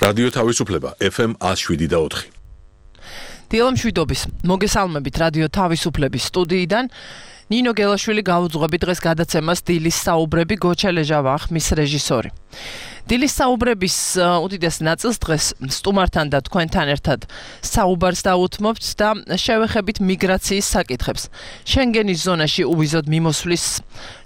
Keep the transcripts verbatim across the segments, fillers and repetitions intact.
რადიო თავისუფლება ეფ ემ one oh seven და four. დილამშვიდობის მოგესალმებით რადიო თავისუფლების სტუდიიდან. ნინო გელაშვილი გაუძღვები დღეს გადაცემას დილის საუბრები, გოჩელეჟავა ხმის რეჟისორი. დილის საუბრების უდიდეს ნაწილს დღეს სტუმართან და თქვენთან ერთად საუბარს დაუთმობთ და შევეხებით მიგრაციის საკითხებს. შენგენის ზონაში უვიზოდ მიმოსვლის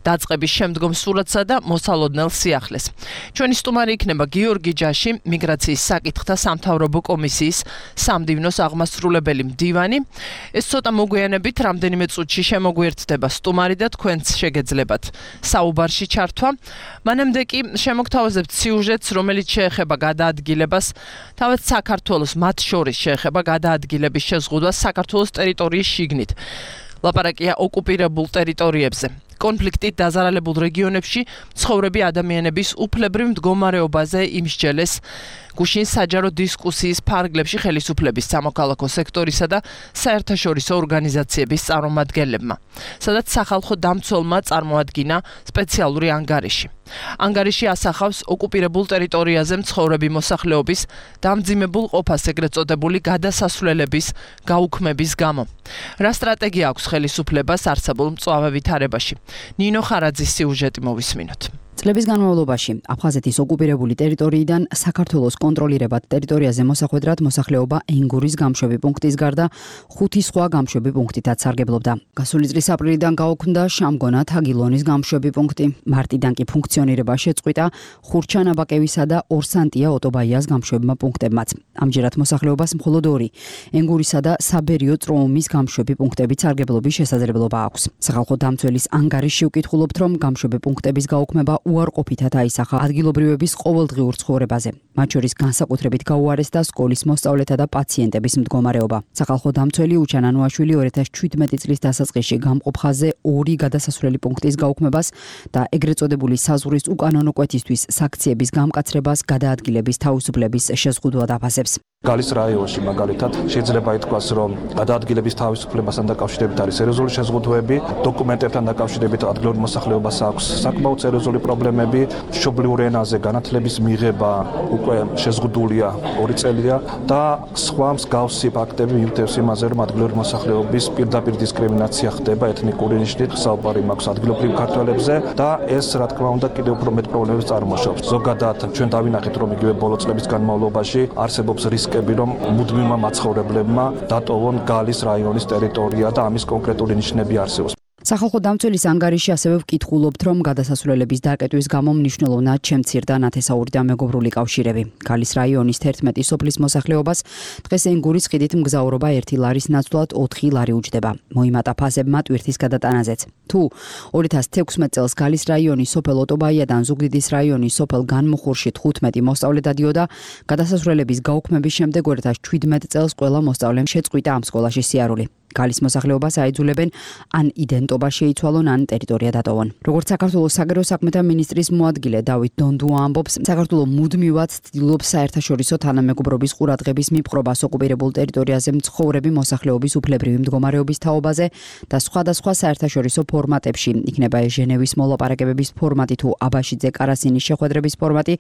დაწყების შემდგომ სურათსა და მოსალოდნელ სიახლეს. ჩვენი სტუმარი იქნება გიორგი ჯაში, მიგრაციის საკითხთა სამთავრობო კომისიის სამდივნოს აღმასრულებელი მდივანი. ეს ცოტა მოგვიანებით რამდენიმე წუთში შემოგვიერთდება სტუმარი და თქვენც შეგეძლებათ საუბარში ჩართვა. მანამდე კი შემოგთავაზებთ სიუჟეტს, რომელიც შეეხება გადაადგილებას, თავად საქართველოს მათ შორის შეეხება გადაადგილების შეზღუდვას საქართველოს ტერიტორიის შიგნით. ლაპარაკია ოკუპირებულ ტერიტორიებზე. კონფლიქტით დაზარალებულ რეგიონებში ცხოვრები ადამიანების უფლებრივ მდგომარეობაზე იმსჯელეს გუშინ საჯარო დისკუსიის ფარგლებში ხელისუფლების სამოქალაქო სექტორისა და საერთაშორისო ორგანიზაციების წარმომადგენლებმა, სადაც სახალხო დამცველმა წარმოადგინა სპეციალური ანგარიში. ანგარიში ასახავს ოკუპირებულ ტერიტორიაზე მცხოვრები მოსახლეობის დამძიმებულ ყოფას ეგრეთ წოდებული გადასასვლელების გაუქმების გამო. რა სტრატეგია აქვს ხელისუფლებას არსებულ მწვავე ვითარებაში? ნინო ხარაძის სიუჟეტი მოვისმინოთ. წლების განმავლობაში აფხაზეთის ოკუპირებული ტერიტორიიდან საქართველოს კონტროლირებად ტერიტორიაზე მოსახვედრად მოსახლეობა ენგურის გამშვები პუნქტის გარდა ხუთი სხვა გამშვები პუნქტითაც სარგებლობდა. გასული წლის აპრილიდან გაუქმდა შამგონა თაგილონის გამშვები პუნქტი. მარტიდან კი ფუნქციონირება შეწყვიტა ხურჩანაბაკევისა და ორსანტია ოტობაიას გამშვებმა პუნქტებმაც. ამჯერად მოსახლეობას მხოლოდ ორი ენგურისა და საბერიო წროუმის გამშვები პუნქტებით სარგებლობის შესაძლებლობა აქვს. სახალხო დამცველის ანგარიში ვკითხულობთ, რომ გამშვები პუნქტების გაუქმება უარყოფითად აისახა ადგილობრივების ყოველდღიურ ცხოვრებაზე. მათ შორის განსაკუთრებით გაუარესდა სკოლის მოსწავლეთა და პაციენტების მდგომარეობა. სახალხო დამცველი უჩან ანუაშვილი ორი ათას შვიდმეტი წლის დასაწყისში გამყოფ ხაზზე ორი გადასასვლელი პუნქტის გაუქმებას და ეგრეთ წოდებული საზღვრის უკანონო კვეთისთვის საქციების გამკაცრებას გადაადგილების თავისუფლების შეზღუდვა დაფასებს. გალის რაიონში მაგალითად შეიძლება ითქვას, რომ გადაადგილების თავისუფლებასთან დაკავშირებით არის სერიოზული შეზღუდვები, დოკუმენტებთან დაკავშირებით ადგილობრივ მოსახლეობას აქვს საკმაოდ სერიოზული პრობლემები, მშობლიურ ენაზე განათლების მიღება უკვე შეზღუდულია ორი წელია და სხვა მსგავსი ფაქტები მიუთითებს იმაზე, რომ ადგილობრივ მოსახლეობის პირდაპირ დისკრიმინაცია ხდება ეთნიკური ნიშნით, საუბარი მაქვს ადგილობრივ ქართველებზე და ეს რა თქმა უნდა კიდევ უფრო მეტ პრობლემებს წარმოშობს. ზოგადად ჩვენ დავინახეთ, რომ იგივე ბოლო წლების განმავლობაში არსებობს რისკები, რომ მუდმივმა მაცხოვრებლებმა დატოვონ გალის რაიონის ტერიტორია და ამის კონკრეტული ნიშნები არსებობს. სახალხო დამცველის ანგარიში ასევე ვკითხულობთ, რომ გადასასვლელების დაკეტვის გამო მნიშვნელოვნად შემცირდა ნათესაური და მეგობრული კავშირები. გალის რაიონის თერთმეტი სოფლის მოსახლეობას დღეს ენგურის ხიდით მგზავრობა ერთი ლარის ნაცვლად ოთხი ლარი უჯდება. მოიმატა ფასებმა ტვირთის გადატანაზეც. თუ ორი ათას თექვსმეტ წელს გალის რაიონის სოფელ ოტობაიადან ზუგდიდის რაიონის სოფელ განმუხურში თხუთმეტი მოსწავლე დადიოდა, გადასასვლელების გაუქმების შემდეგ ორი ათას შვიდმეტ წელს ყველა მოსწავლემ შეწყვიტა ამ სკოლაში სიარული. გალის მოსახლეობას აიძულებენ ან იდენტობა შეიცვალონ, ან ტერიტორია დატოვონ. როგორც საქართველოს საგარეო საქმეთა მინისტრის მოადგილე დავით დონდუა ამბობს, საქართველოს მუდმივად ცდილობს საერთაშორისო თანამეგობრობის ყურადღების მიპყრობას ოკუპირებულ ტერიტორიაზე მცხოვრები მოსახლეობის უფლებრივი მდგომარეობის თაობაზე და სხვადასხვა საერთაშორისო ფორმატებში, იქნება ეს ჟენევის მოლაპარაკებების ფორმატი თუ აბაშიძე კარასინის შეხვედრების ფორმატი,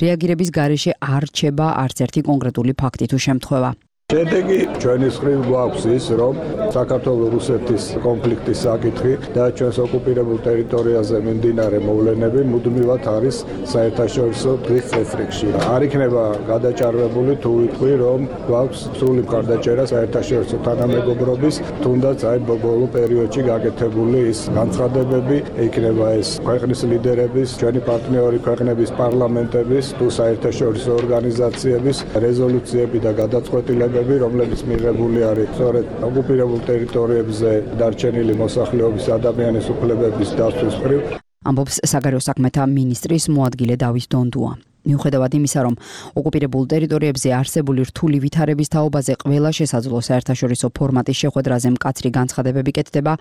რეაგირების გარეშე არ რჩება არც ერთი კონკრეტული ფაქტი თუ შემთხვევა. შედეგი ჩვენი მხრივ გვაქვს ის, რომ საქართველოს-რუსეთის კონფლიქტის საკითხი და ჩვენს ოკუპირებულ ტერიტორიაზე მიმდინარე მოვლენები მუდმივად არის საერთაშორისო დღის წესრიგში. არ იქნება გადაჭარბებული თუ ვიტყვი, რომ გვაქვს სრული მხარდაჭერა საერთაშორისო თანამეგობრობის, თუნდაც აი ბოლო პერიოდში გაკეთებული ის განცხადებები, იქნება ეს ქვეყნის ლიდერების, ჩვენი პარტნიორი ქვეყნების პარლამენტების თუ საერთაშორისო ორგანიზაციების რეზოლუციები და გადაწყვეტილებები, რომლებიც მიღებული არის სწორედ ოკუპირებულ ტერიტორიებზე დარჩენილი მოსახლეობის ადამიანის უფლებების დაცვის მხრივ. ამბობს საგარეო საქმეთა მინისტრის მოადგილე დავით დონდუა. მიუხედავად იმისა, რომ ოკუპირებულ ტერიტორიებზე არსებული რთული ვითარების თაობაზე ყველა შესაძლო საერთაშორისო ფორმატის შეხვედრაზე მკაცრი განცხადებები კეთდება,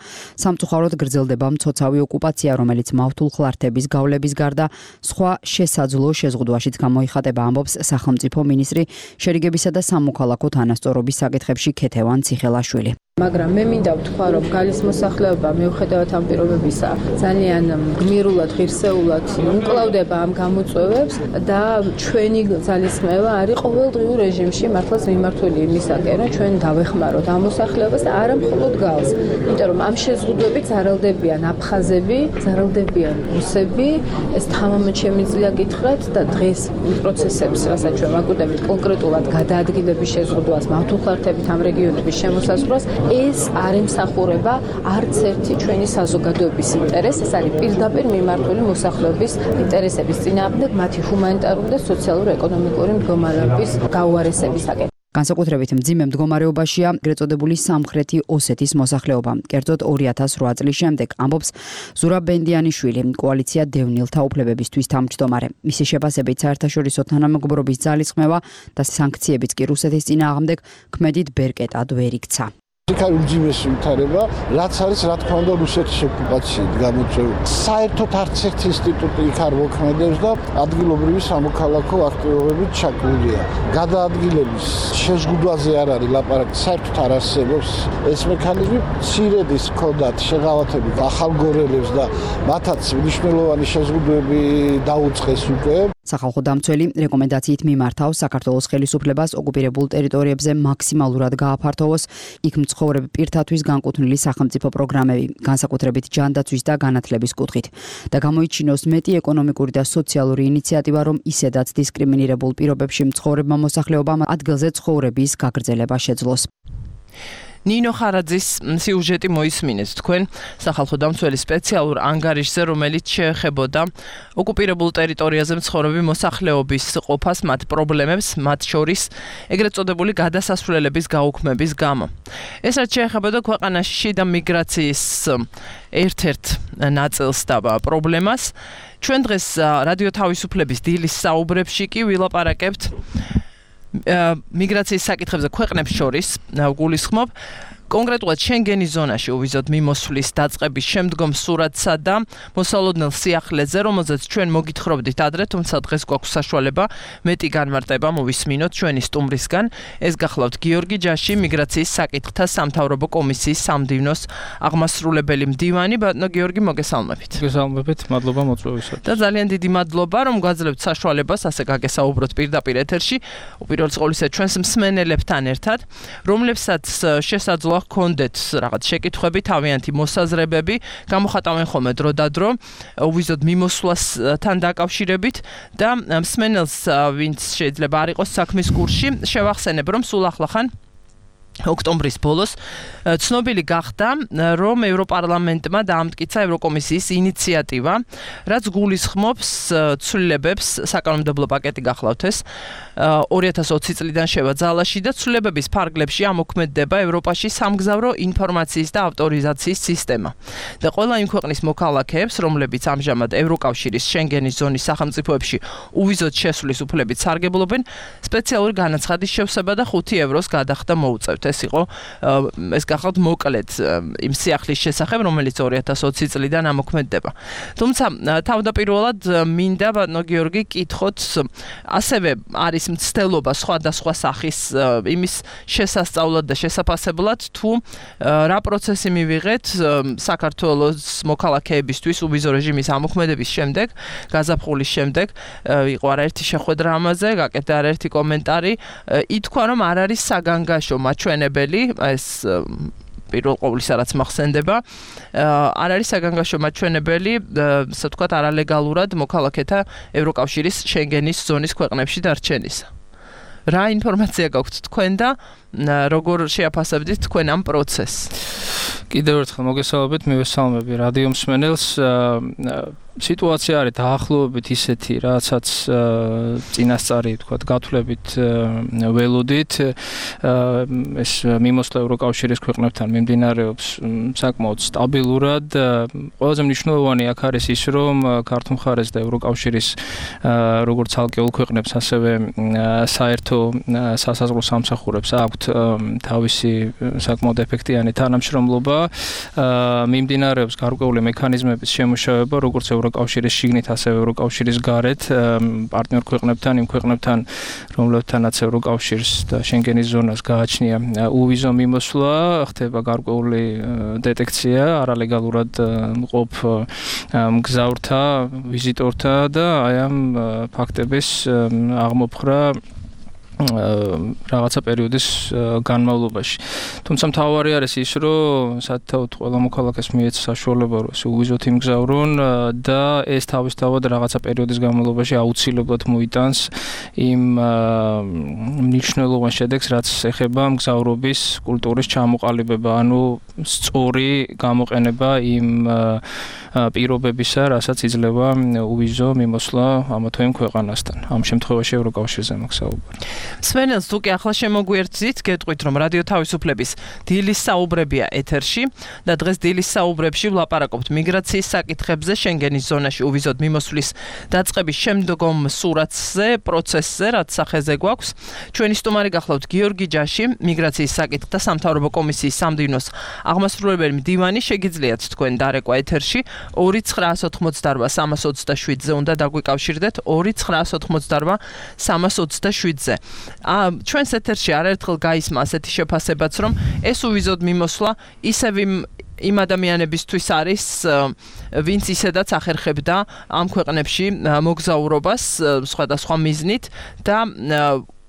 სამწუხაროდ გრძელდება მცოცავი ოკუპაცია, რომელიც მავთულ ხლართების გავლების გარდა სხვა შესაძლო შეზღუდვაშიც გამოიხატება, ამბობს სახელმწიფო მინისტრი შერიგებისა და სამოქალაქო თანასწორობის საკითხებში ქეთევან ციხელაშვილი. მაგრამ მე მინდა ვთქვა, რომ გალის მოსახლეობა მიუხედავად ამ პირობებისა ძალიან გმირულად, ღირსეულად უკლავდება ამ გამოწვევებს და ჩვენი ძალისხმევა არის ყოველდღიურ რეჟიმში მართლაც მიმართული იმისაკენ, რომ ჩვენ დავეხმაროთ ამ მოსახლეობას და არა მხოლოდ გალს. იმიტომ რომ ამ შეზღუდვებით ზარალდებიან აფხაზები, ზარალდებიან რუსები, ეს თამამად შემიძლია გითხრათ და დღეს პროცესებს, რასაც ჩვენ ვაკუთვნებით კონკრეტულად გადაადგილების შეზღუდვას, მავთუხლართებით ამ რეგიონების შემოსაზღვრას, ეს არ ემსახურება არც ერთი ჩვენი საზოგადოების ინტერესს, ეს არის პირდაპირ მიმართული მოსახლეობის ინტერესების წინააღმდეგ, მათი ჰუმანიტარული და სოციალურ-ეკონომიკური მდგომარეობის გაუარესებისაკენ. განსაკუთრებით მძიმე მდგომარეობაშია ეგრეთ წოდებული სამხრეთი ოსეთის მოსახლეობა. კერძოდ ორი ათას რვა წლის შემდეგ, ამბობს ზურაბ ბენდიანიშვილი, კოალიცია დევნილთა უფლებებისთვის თავმჯდომარე. მისი შეფასებით საერთაშორისო თანამეგობრობის ძალისხმევა და სანქციებიც კი რუსეთის წინააღმდეგ ქმედით ბერკეტად ვერ იქცა. იქ არის უმძიმესი ვითარება, რაც არის რა თქმა უნდა რუსეთის ოკუპაციით გამოწვეული. საერთოდ არც ერთი ინსტიტუტი იქ არ მოქმედებს და ადგილობრივი სამოქალაქო აქტივობებით ჩაკრულია. გადაადგილების შეზღუდვაზე არ არის ლაპარაკი, საერთოდ არ არსებობს ეს მექანიზმი. მცირედის ჰქონდათ შეღავათებით ახალ გორელებს და მათაც მნიშვნელოვანი შეზღუდვები დაუწყეს უკვე. სახალხო დამცველი რეკომენდაციით მიმართავს საქართველოს ხელისუფლებას ოკუპირებულ ტერიტორიებზე მაქსიმალურად გააფართოვოს იქ მცხოვრებ პირთათვის განკუთვნილი სახელმწიფო პროგრამები, განსაკუთრებით ჯანდაცვის და განათლების კუთხით და გამოიჩინოს მეტი ეკონომიკური და სოციალური ინიციატივა, რომ ისედაც დისკრიმინირებულ პირობებში მცხოვრებმა მოსახლეობამ ადგილზე ცხოვრების გაგრძელება შეძლოს. ნინო ხარაძის სიუჟეტი მოისმინეთ თქვენ სახალხო დამცველი სპეციალურ ანგარიშზე, რომელიც შეეხებოდა ოკუპირებულ ტერიტორიაზე მცხოვრები მოსახლეობის ყოფას, მათ პრობლემებს, მათ შორის ეგრეთ წოდებული გადასასვლელების გაუქმების გამო. ეს რაც შეეხებოდა ქვეყანაში შიდა მიგრაციის ერთ-ერთ ნაწილს და პრობლემას, ჩვენ დღეს რადიო თავისუფლების დილის საუბრებში კი ვილაპარაკებთ მიგრაციის საკითხებზე ქვეყნებს შორის გულისხმობ კონკრეტულად შენგენის ზონაში უვიზოთ მიმოსვლის დაწყების შემდგომ სურათსა და მოსალოდნელ სიახლეზე, რომელზეც ჩვენ მოგითხრობდით ადრე, თუმცა დღეს გვაქვს საშუალება მეტი განმარტება მოვისმინოთ ჩვენი სტუმრისგან. ეს გახლავთ გიორგი ჯაში, მიგრაციის საკითხთა სამთავრობო კომისიის სამდივნოს აღმასრულებელი მდივანი. ბატონო გიორგი, მოგესალმებით. მოგესალმებით, მადლობა მოწვევისათვის. და ძალიან დიდი მადლობა, რომ გვაძლევთ საშუალებას ასე გაგესაუბროთ პირდაპირ ეთერში, უპირველეს ყოვლისა ჩვენს მსმენელებთან ერთად, რომლებსაც შესაძლოა ჰქონდეთ რაღაც შეკითხვები, თავიანთი მოსაზრებები, გამოხატავენ ხოლმე დრო და დრო, უვიზოთ მიმოსვლასთან დაკავშირებით და მსმენელს, ვინც შეიძლება არ იყოს საქმის კურსში, შევახსენებ, რომ სულ ახლახან ოქტომბრის ბოლოს ცნობილი გახდა, რომ ევროპარლამენტმა დაამტკიცა ევროკომისიის ინიციატივა, რაც გულისხმობს ცვლილებებს, საკანონმდებლო პაკეტი გახლავთ ეს, ორი ათას ოცი წლიდან შევა ძალაში და ცვლილებების ფარგლებში ამოქმედდება ევროპაში სამგზავრო ინფორმაციის და ავტორიზაციის სისტემა. და ყველა იმ ქვეყნის მოქალაქეებს, რომლებიც ამჟამად ევროკავშირის შენგენის ზონის სახელმწიფოებში უვიზოთ შესვლის უფლებით სარგებლობენ, სპეციალური განაცხადის შევსება და ხუთი ევროს გადახდა მოუწევთ. ეს იყო ეს გახლავთ მოკლედ იმ სიახლის შესახებ, რომელიც ორი ათას ოცი წლიდან ამოქმედდება. თუმცა თავდაპირველად მინდა ბატონო გიორგი კითხოთ, ასევე არის მცდელობა სხვადასხვა სახის იმის შესასწავლად და შესაფასებლად, თუ რა პროცესი მივიღეთ საქართველოს მოქალაქეებისთვის უვიზო რეჟიმის ამოქმედების შემდეგ, გაზაფხულის შემდეგ, იყო არაერთი შეხვედრა ამაზე, გაკეთდა არაერთი კომენტარი, ითქვა, რომ არ არის საგანგაშო მაჩვენებელი, ეს პირველ ყოვლისა რაც მახსენდება, არ არის საგანგაშო მაჩვენებელი, ასე ვთქვათ, არალეგალურად მოქალაქეთა ევროკავშირის შენგენის ზონის ქვეყნებში დარჩენისა. რა ინფორმაცია გაქვთ თქვენ და როგორ შეაფასებდით თქვენ ამ პროცესს? კიდევ ერთხელ მოგესალმებით, მივესალმები რადიო მსმენელს. სიტუაცია არის დაახლოებით ისეთი, რასაც წინასწარი ვთქვათ, გათვლებით ველოდით. ეს მიმოსვლა ევროკავშირის ქვეყნებთან მიმდინარეობს საკმაოდ სტაბილურად. ყველაზე მნიშვნელოვანი აქ არის ის, რომ ქართულ მხარეს და ევროკავშირის როგორც ცალკეულ ქვეყნებს, ასევე საერთო სასაზღვრო სამსახურებს აქვთ თავისი საკმაოდ ეფექტიანი თანამშრომლობა მიმდინარეობს გარკვეული მექანიზმების შემუშავება, როგორც ევროკავშირის შიგნით, ასევე ევროკავშირის გარეთ, პარტნიორ ქვეყნებთან, იმ ქვეყნებთან, რომლებთანაც ევროკავშირს და შენგენის ზონას გააჩნია უვიზო მიმოსვლა, ხდება გარკვეული დეტექცია არალეგალურად მყოფ მგზავრთა, ვიზიტორთა და აი ამ ფაქტების აღმოფხრა რაღაცა პერიოდის განმავლობაში. თუმცა მთავარი არის ის, რომ საერთოდ ყველა მოქალაქეს მიეცა საშუალება, რომ ესე უვიზოთ იმგზავრონ და ეს თავისთავად რაღაცა პერიოდის განმავლობაში აუცილებლად მოიტანს იმ მნიშვნელოვან შედეგს, რაც ეხება მგზავრობის კულტურის ჩამოყალიბება, ანუ სწორი გამოყენება იმ პირობებისა, რასაც იძლევა უვიზო მიმოსვლა ამა თუ იმ ქვეყანასთან. ამ შემთხვევაში ევროკავშირზე მაქვს საუბარი. სვენელს თუ კი ახლა შემოგვიერთდით, გეტყვით, რომ რადიო თავისუფლების დილის საუბრებია ეთერში და დღეს დილის საუბრებში ვლაპარაკობთ მიგრაციის საკითხებზე, შენგენის ზონაში უვიზოდ მიმოსვლის დაწყების შემდგომ სურათზე, პროცესზე, რაც სახეზე გვაქვს. ჩვენი სტუმარი გახლავთ გიორგი ჯაში, მიგრაციის საკითხთა სამთავრობო კომისიის სამდივნოს აღმასრულებელი მდივანი. შეგიძლიათ თქვენ დარეკვა ეთერში ორი ცხრაას ოთხმოცდაარბა სამას ოცდაშვიდზე უნდა დაგვიკავშირდეთ ორი ცხრაას ოთხმოცდაარბა სამას ოცდაშვიდზე. ჩვენს ეთერში არაერთხელ გაისმა ასეთი შეფასებაც, რომ ეს უვიზოდ მიმოსვლა ისევ იმ ადამიანებისთვის არის, ვინც ისედაც ახერხებდა ამ ქვეყნებში მოგზაურობას სხვადასხვა მიზნით და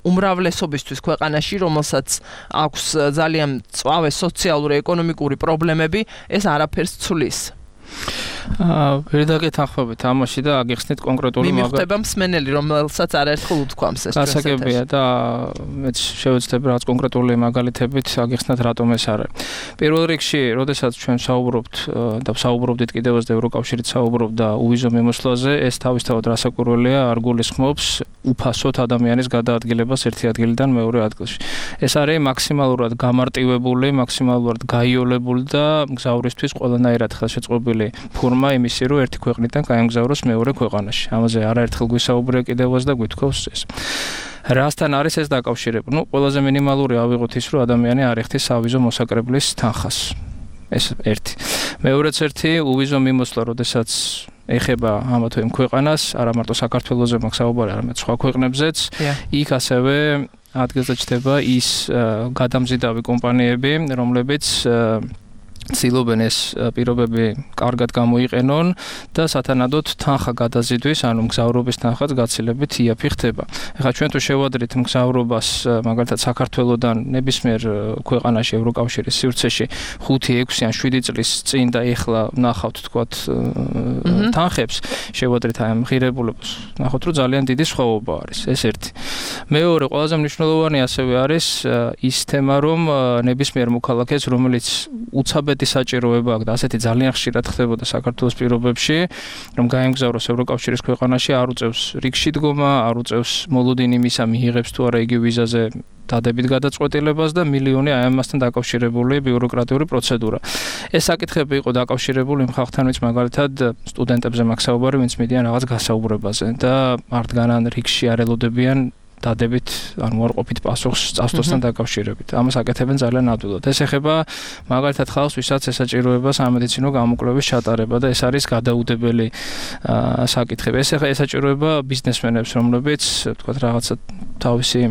უმრავლესობისთვის ქვეყანაში, რომელსაც აქვს ძალიან მწვავე სოციალური, ეკონომიკური პრობლემები, ეს არაფერს ცვლის. ვერდაგეთ ახваბეთ ამაში და აგიხსნით კონკრეტული მაგალითი. მიმხვდება მსმენელი, რომელსაც არაერთხელ უთქვამს ეს ჩვენს ეთერში. გასაგებია და მეც შევეცდები რაღაც კონკრეტული მაგალითებით აგიხსნათ რატომ ეს არის. პირველ რიგში, როდესაც ჩვენ საუბრობთ და საუბრობდით კიდევაც და ევროკავშირით საუბრობდა უვიზო მიმოსვლაზე, ეს თავისთავად რასაკვირველია, არ გულისხმობს უფასოდ ადამიანის გადაადგილებას ერთი ადგილიდან მეორე ადგილში. ეს არის მაქსიმალურად გამარტივებული, მაქსიმალურად გაიოლებული და მგზავრისთვის ყველანაირად ხელშეწყობილი ფორმა იმისი, რომ ერთი ქვეყნიდან გაემგზავროს მეორე ქვეყანაში. ამაზე არაერთხელ გვისაუბრია კიდევაც და გვითხოვს ეს. რასთან არის ეს დაკავშირებული? ნუ ყველაზე მინიმალური ავიღოთ ის, რომ ადამიანი არ ეხთის სავიზო მოსაკრებლის თანხას. ეს ერთი. მეორეც ერთი უვიზო მიმოსვლა, როდესაც ეხება ამა თუ იმ ქვეყანას, არა მარტო საქართველოზე მაქვს საუბარი, არამედ სხვა ქვეყნებზეც, იქ ასევე ადგილზე ჩდება ის გადამზიდავი კომპანიები, რომლებიც ცდილობენ ეს პირობები კარგად გამოიყენონ და სათანადოდ თანხა გადაზიდვის, ანუ მგზავრობის თანხაც გაცილებით იაფი ხდება. ეხლა ჩვენ თუ შევადრით მგზავრობას, მაგალითად საქართველოდან ნებისმიერ ქვეყანაში ევროკავშირის სივრცეში ხუთი, ექვსი ან შვიდი წლის წინ და ეხლა ნახავთ თქვათ თანხებს, შევადრით აი ამ ღირებულებას, ნახავთ რომ ძალიან დიდი სხვაობა არის. ეს ერთი. მეორე, ყველაზე მნიშვნელოვანი ასევე არის ის თემა, რომ ნებისმიერ მოქალაქეს, რომელიც უცაბ საჭიროება აქვს და ასეთი ძალიან ხშირად ხდებოდა საქართველოს პირობებში, რომ გაემგზავროს ევროკავშირის ქვეყანაში, არ უწევს რიგში დგომა, არ უწევს მოლოდინი მისა მიიღებს თუ არა იგი ვიზაზე დადებით გადაწყვეტილებას და მილიონი აი ამასთან დაკავშირებული ბიუროკრატიული პროცედურა. ეს საკითხები იყო დაკავშირებული იმ ხალხთან, ვინც მაგალითად სტუდენტებზე მაქვს საუბარი, ვინც მიდიან რაღაც გასაუბრებაზე და მართგანან რიგში არ ელოდებიან დადებით, ანუ უარყოფით პასუხს წასვლასთან დაკავშირებით. ამას აკეთებენ ძალიან ადვილად. ეს ეხება მაგალითად ხალხს, ვისაც ესაჭიროება სამედიცინო გამოკვლევის ჩატარება და ეს არის გადაუდებელი საკითხები. ეს ესაჭიროება ბიზნესმენებს, რომლებიც, თქვათ, რაღაცა თავისი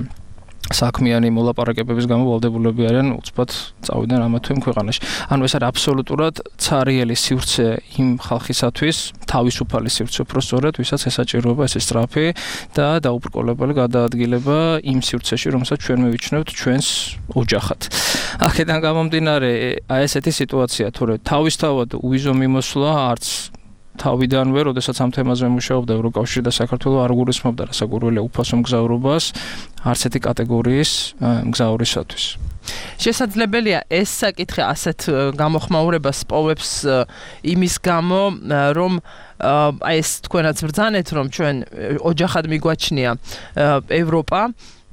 საქმიანი მოლაპარაკებების გამო ვალდებულები არიან უცბად წავიდნენ ამა თუ იმ ქვეყანაში. ანუ ეს არის აბსოლუტურად ცარიელი სივრცე იმ ხალხისათვის, თავისუფალი სივრცე უფრო სწორედ, ვისაც ესაჭიროება ეს სწრაფი და დაუბრკოლებელი გადაადგილება იმ სივრცეში, რომელსაც ჩვენ მივიჩნევთ ჩვენს ოჯახად. აქედან გამომდინარე, აი ესეთი სიტუაცია, თორე თავისთავად უვიზო მიმოსვლა არც თავიდანვე, როდესაც ამ თემაზე მუშაობდა ევროკავშირი და საქართველო არ გულისხმობდა რასაკვირველია უფასო მგზავრობას არც ერთი კატეგორიის მგზავრისათვის. შესაძლებელია ეს საკითხი ასეთ გამოხმაურებას პოვებს იმის გამო, რომ აი ეს თქვენაც ბრძანეთ, რომ ჩვენ ოჯახად მიგვაჩნია ევროპა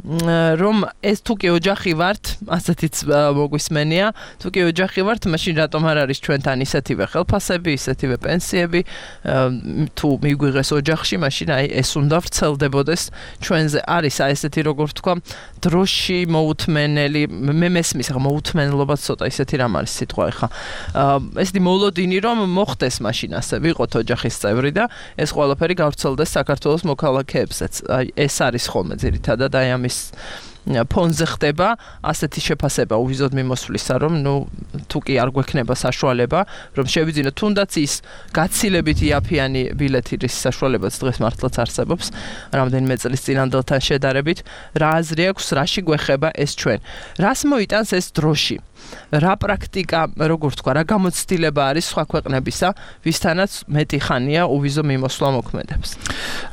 რომ ეს თუ კი ოჯახი ვართ, ასეთიც მოგვისმენია, თუ კი ოჯახი ვართ, მაშინ რატომ არ არის ჩვენთან ისეთივე ხელფასები, ისეთივე პენსიები, თუ მიგვიღეს ოჯახში, მაშინ აი ეს უნდა ვრცელდებოდეს ჩვენზე. არის აი ესეთი როგორ თქვა, დროში მოუთმენელი, მე მესმის ახლა მოუთმენლობა ცოტა ისეთი რამ არის სიტყვა ახლა. ესეთი მოლოდინი რომ მოხდეს მაშინ ასე ვიყოთ ოჯახის წევრი და ეს ყველაფერი გავრცელდეს საქართველოს მოქალაქეებსაც. აი ეს არის ხოლმე ძირითადად აი ამის ფონზე ხდება ასეთი შეფასება უვიზოდ მიმოსვლისა, რომ ნუ თუ კი არ გვექნება საშუალება, რომ შევიძინოთ თუნდაც ის გაცილებით იაფიანი ბილეთის საშუალებაც დღეს მართლაც არსებობს, რამდენიმე წლის წინანდელთან შედარებით, რა აზრი აქვს, რაში გვეხება ეს ჩვენ. რას მოიტანს ეს დროში? რა პრაქტიკა, როგორ თქვა, რა გამოცდილება არის სხვა ქვეყნებისა, ვისთანაც მეტი ხანია უვიზო მიმოსვლა მოქმედებს.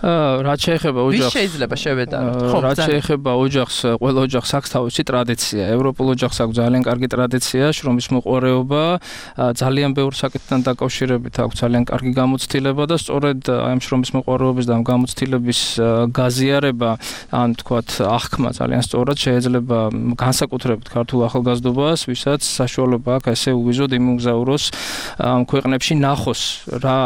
აა რაც შეეხება ოჯახს, ვის შეიძლება შევედაროთ? ხო, რაც შეეხება ოჯახს, ყველა ოჯახს აქვს თავისი ტრადიცია. ევროპულ ოჯახს აქვს ძალიან კარგი ტრადიცია, შრომის მოყვარეობა, ძალიან ბევრ საკითხთან დაკავშირებით აქვს ძალიან კარგი გამოცდილება და სწორედ აი ამ შრომის მოყვარეობის და ამ გამოცდილების გაზიარება, ან თქვათ, აღქმა ძალიან სწორად შეიძლება განსაკუთრებით ქართულ ახალგაზრდობას, ვისაც საშუალება აქვს ესე უვიზოდ იმგზავროს ამ ქვეყნებში ნახოს რა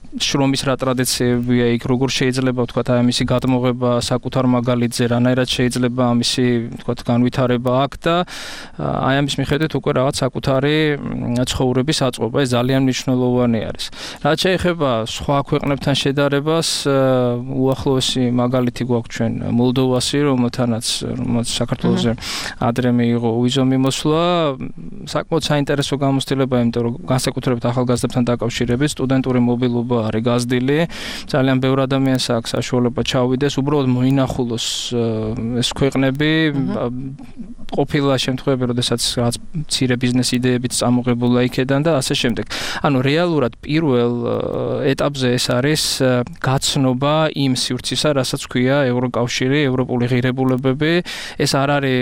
შრომის რა ტრადიციებია იქ, როგორ შეიძლება ვთქვათ აი ამისი გადმოღება საკუთარ მაგალითზე, რანაირად შეიძლება ამისი ვთქვათ განვითარება აქ და აი ამის მიხედვით უკვე რაღაც საკუთარი ცხოვრების აწყობა, ეს ძალიან მნიშვნელოვანი არის. რაც შეეხება სხვა ქვეყნებთან შედარებას, უახლოესი მაგალითი გვაქვს ჩვენ მოლდოვასი, რომელთანაც რომელიც საქართველოზე ადრე მიიღო უვიზო მიმოსვლა, საკმაოდ საინტერესო გამოცდილება, იმიტომ რომ განსაკუთრებით ახალგაზრდებთან დაკავშირებით სტუდენტური მობილობა არის გაზრდილი, ძალიან ბევრ ადამიანს აქვს საშუალება ჩავიდეს, უბრალოდ მოინახულოს ეს ქვეყნები, ყოფილა შემთხვევები, როდესაც რაღაც მცირე ბიზნეს იდეებიც წამოღებულა იქედან და ასე შემდეგ. ანუ რეალურად პირველ ეტაპზე ეს არის გაცნობა იმ სივრცისა, რასაც ქვია ევროკავშირი, ევროპული ღირებულებები, ეს არ არის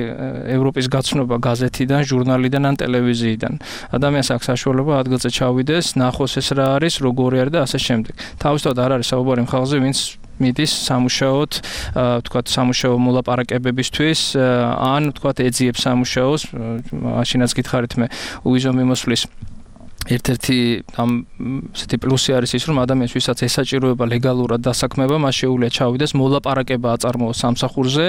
ევროპის გაცნობა გაზეთიდან, ჟურნალიდან ან ტელევიზიიდან. ადამიანს აქვს საშუალება ადგილზე ჩავიდეს, ნახოს ეს რა არის, როგორი არის და ასე შემდეგ. თავისთავად არ არის საუბარი იმ ხალხზე, ვინც მიდის სამუშაოდ, ვთქვათ, სამუშაო მოლაპარაკებებისთვის, ან ვთქვათ, ეძიებს სამუშაოს, მაშინაც გითხარით მე უვიზო მიმოსვლის ერთ-ერთი ამ ესეთი პლუსი არის ის, რომ ადამიანს ვისაც ესაჭიროება ლეგალურად დასაქმება, მას შეუძლია ჩავიდეს, მოლაპარაკება აწარმოოს სამსახურზე,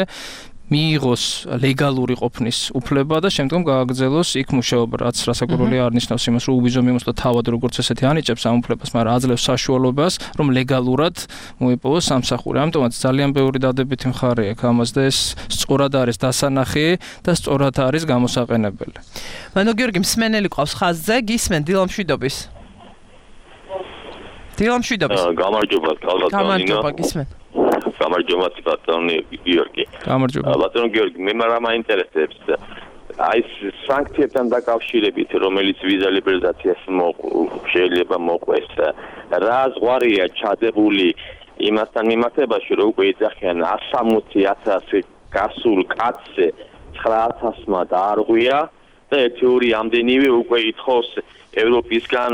მიიღოს ლეგალური ყოფნის უფლება და შემდგომ გააგრძელოს იქ მუშაობა, რაც რასაკვირველია არ ნიშნავს იმას, რომ უვიზო მიმოსვლა თავად როგორც ესეთი ანიჭებს ამ უფლებას, მაგრამ აძლევს საშუალებას, რომ ლეგალურად მოიპოვოს სამსახური. ამიტომაც ძალიან ბევრი დადებითი მხარე აქვს ამას და ეს სწორად არის დასანახი და სწორად არის გამოსაყენებელი. მანო გიორგი მსმენელი ყავს ხაზზე, გისმენ დილამშვიდობის. დილამშვიდობის. გამარჯობა, კალბატონინო. გამარჯობა, გისმენ. გამარჯობა, ბატონი გიორგი. გამარჯობა. ბატონი გიორგი, მე მაგრამ მაინტერესებს აი სანქციებთან დაკავშირებით, რომელიც ვიზა ლიბერალიზაციას შეიძლება მოყვეს, რა ზღვარია ჩადებული იმასთან მიმართებაში, რომ უკვე ეძახიან ასამოცი ათასი გასულ კაცზე ცხრა ათასმა დაარღვია და ერთი ორი ამდენივე უკვე ითხოვს ევროპისგან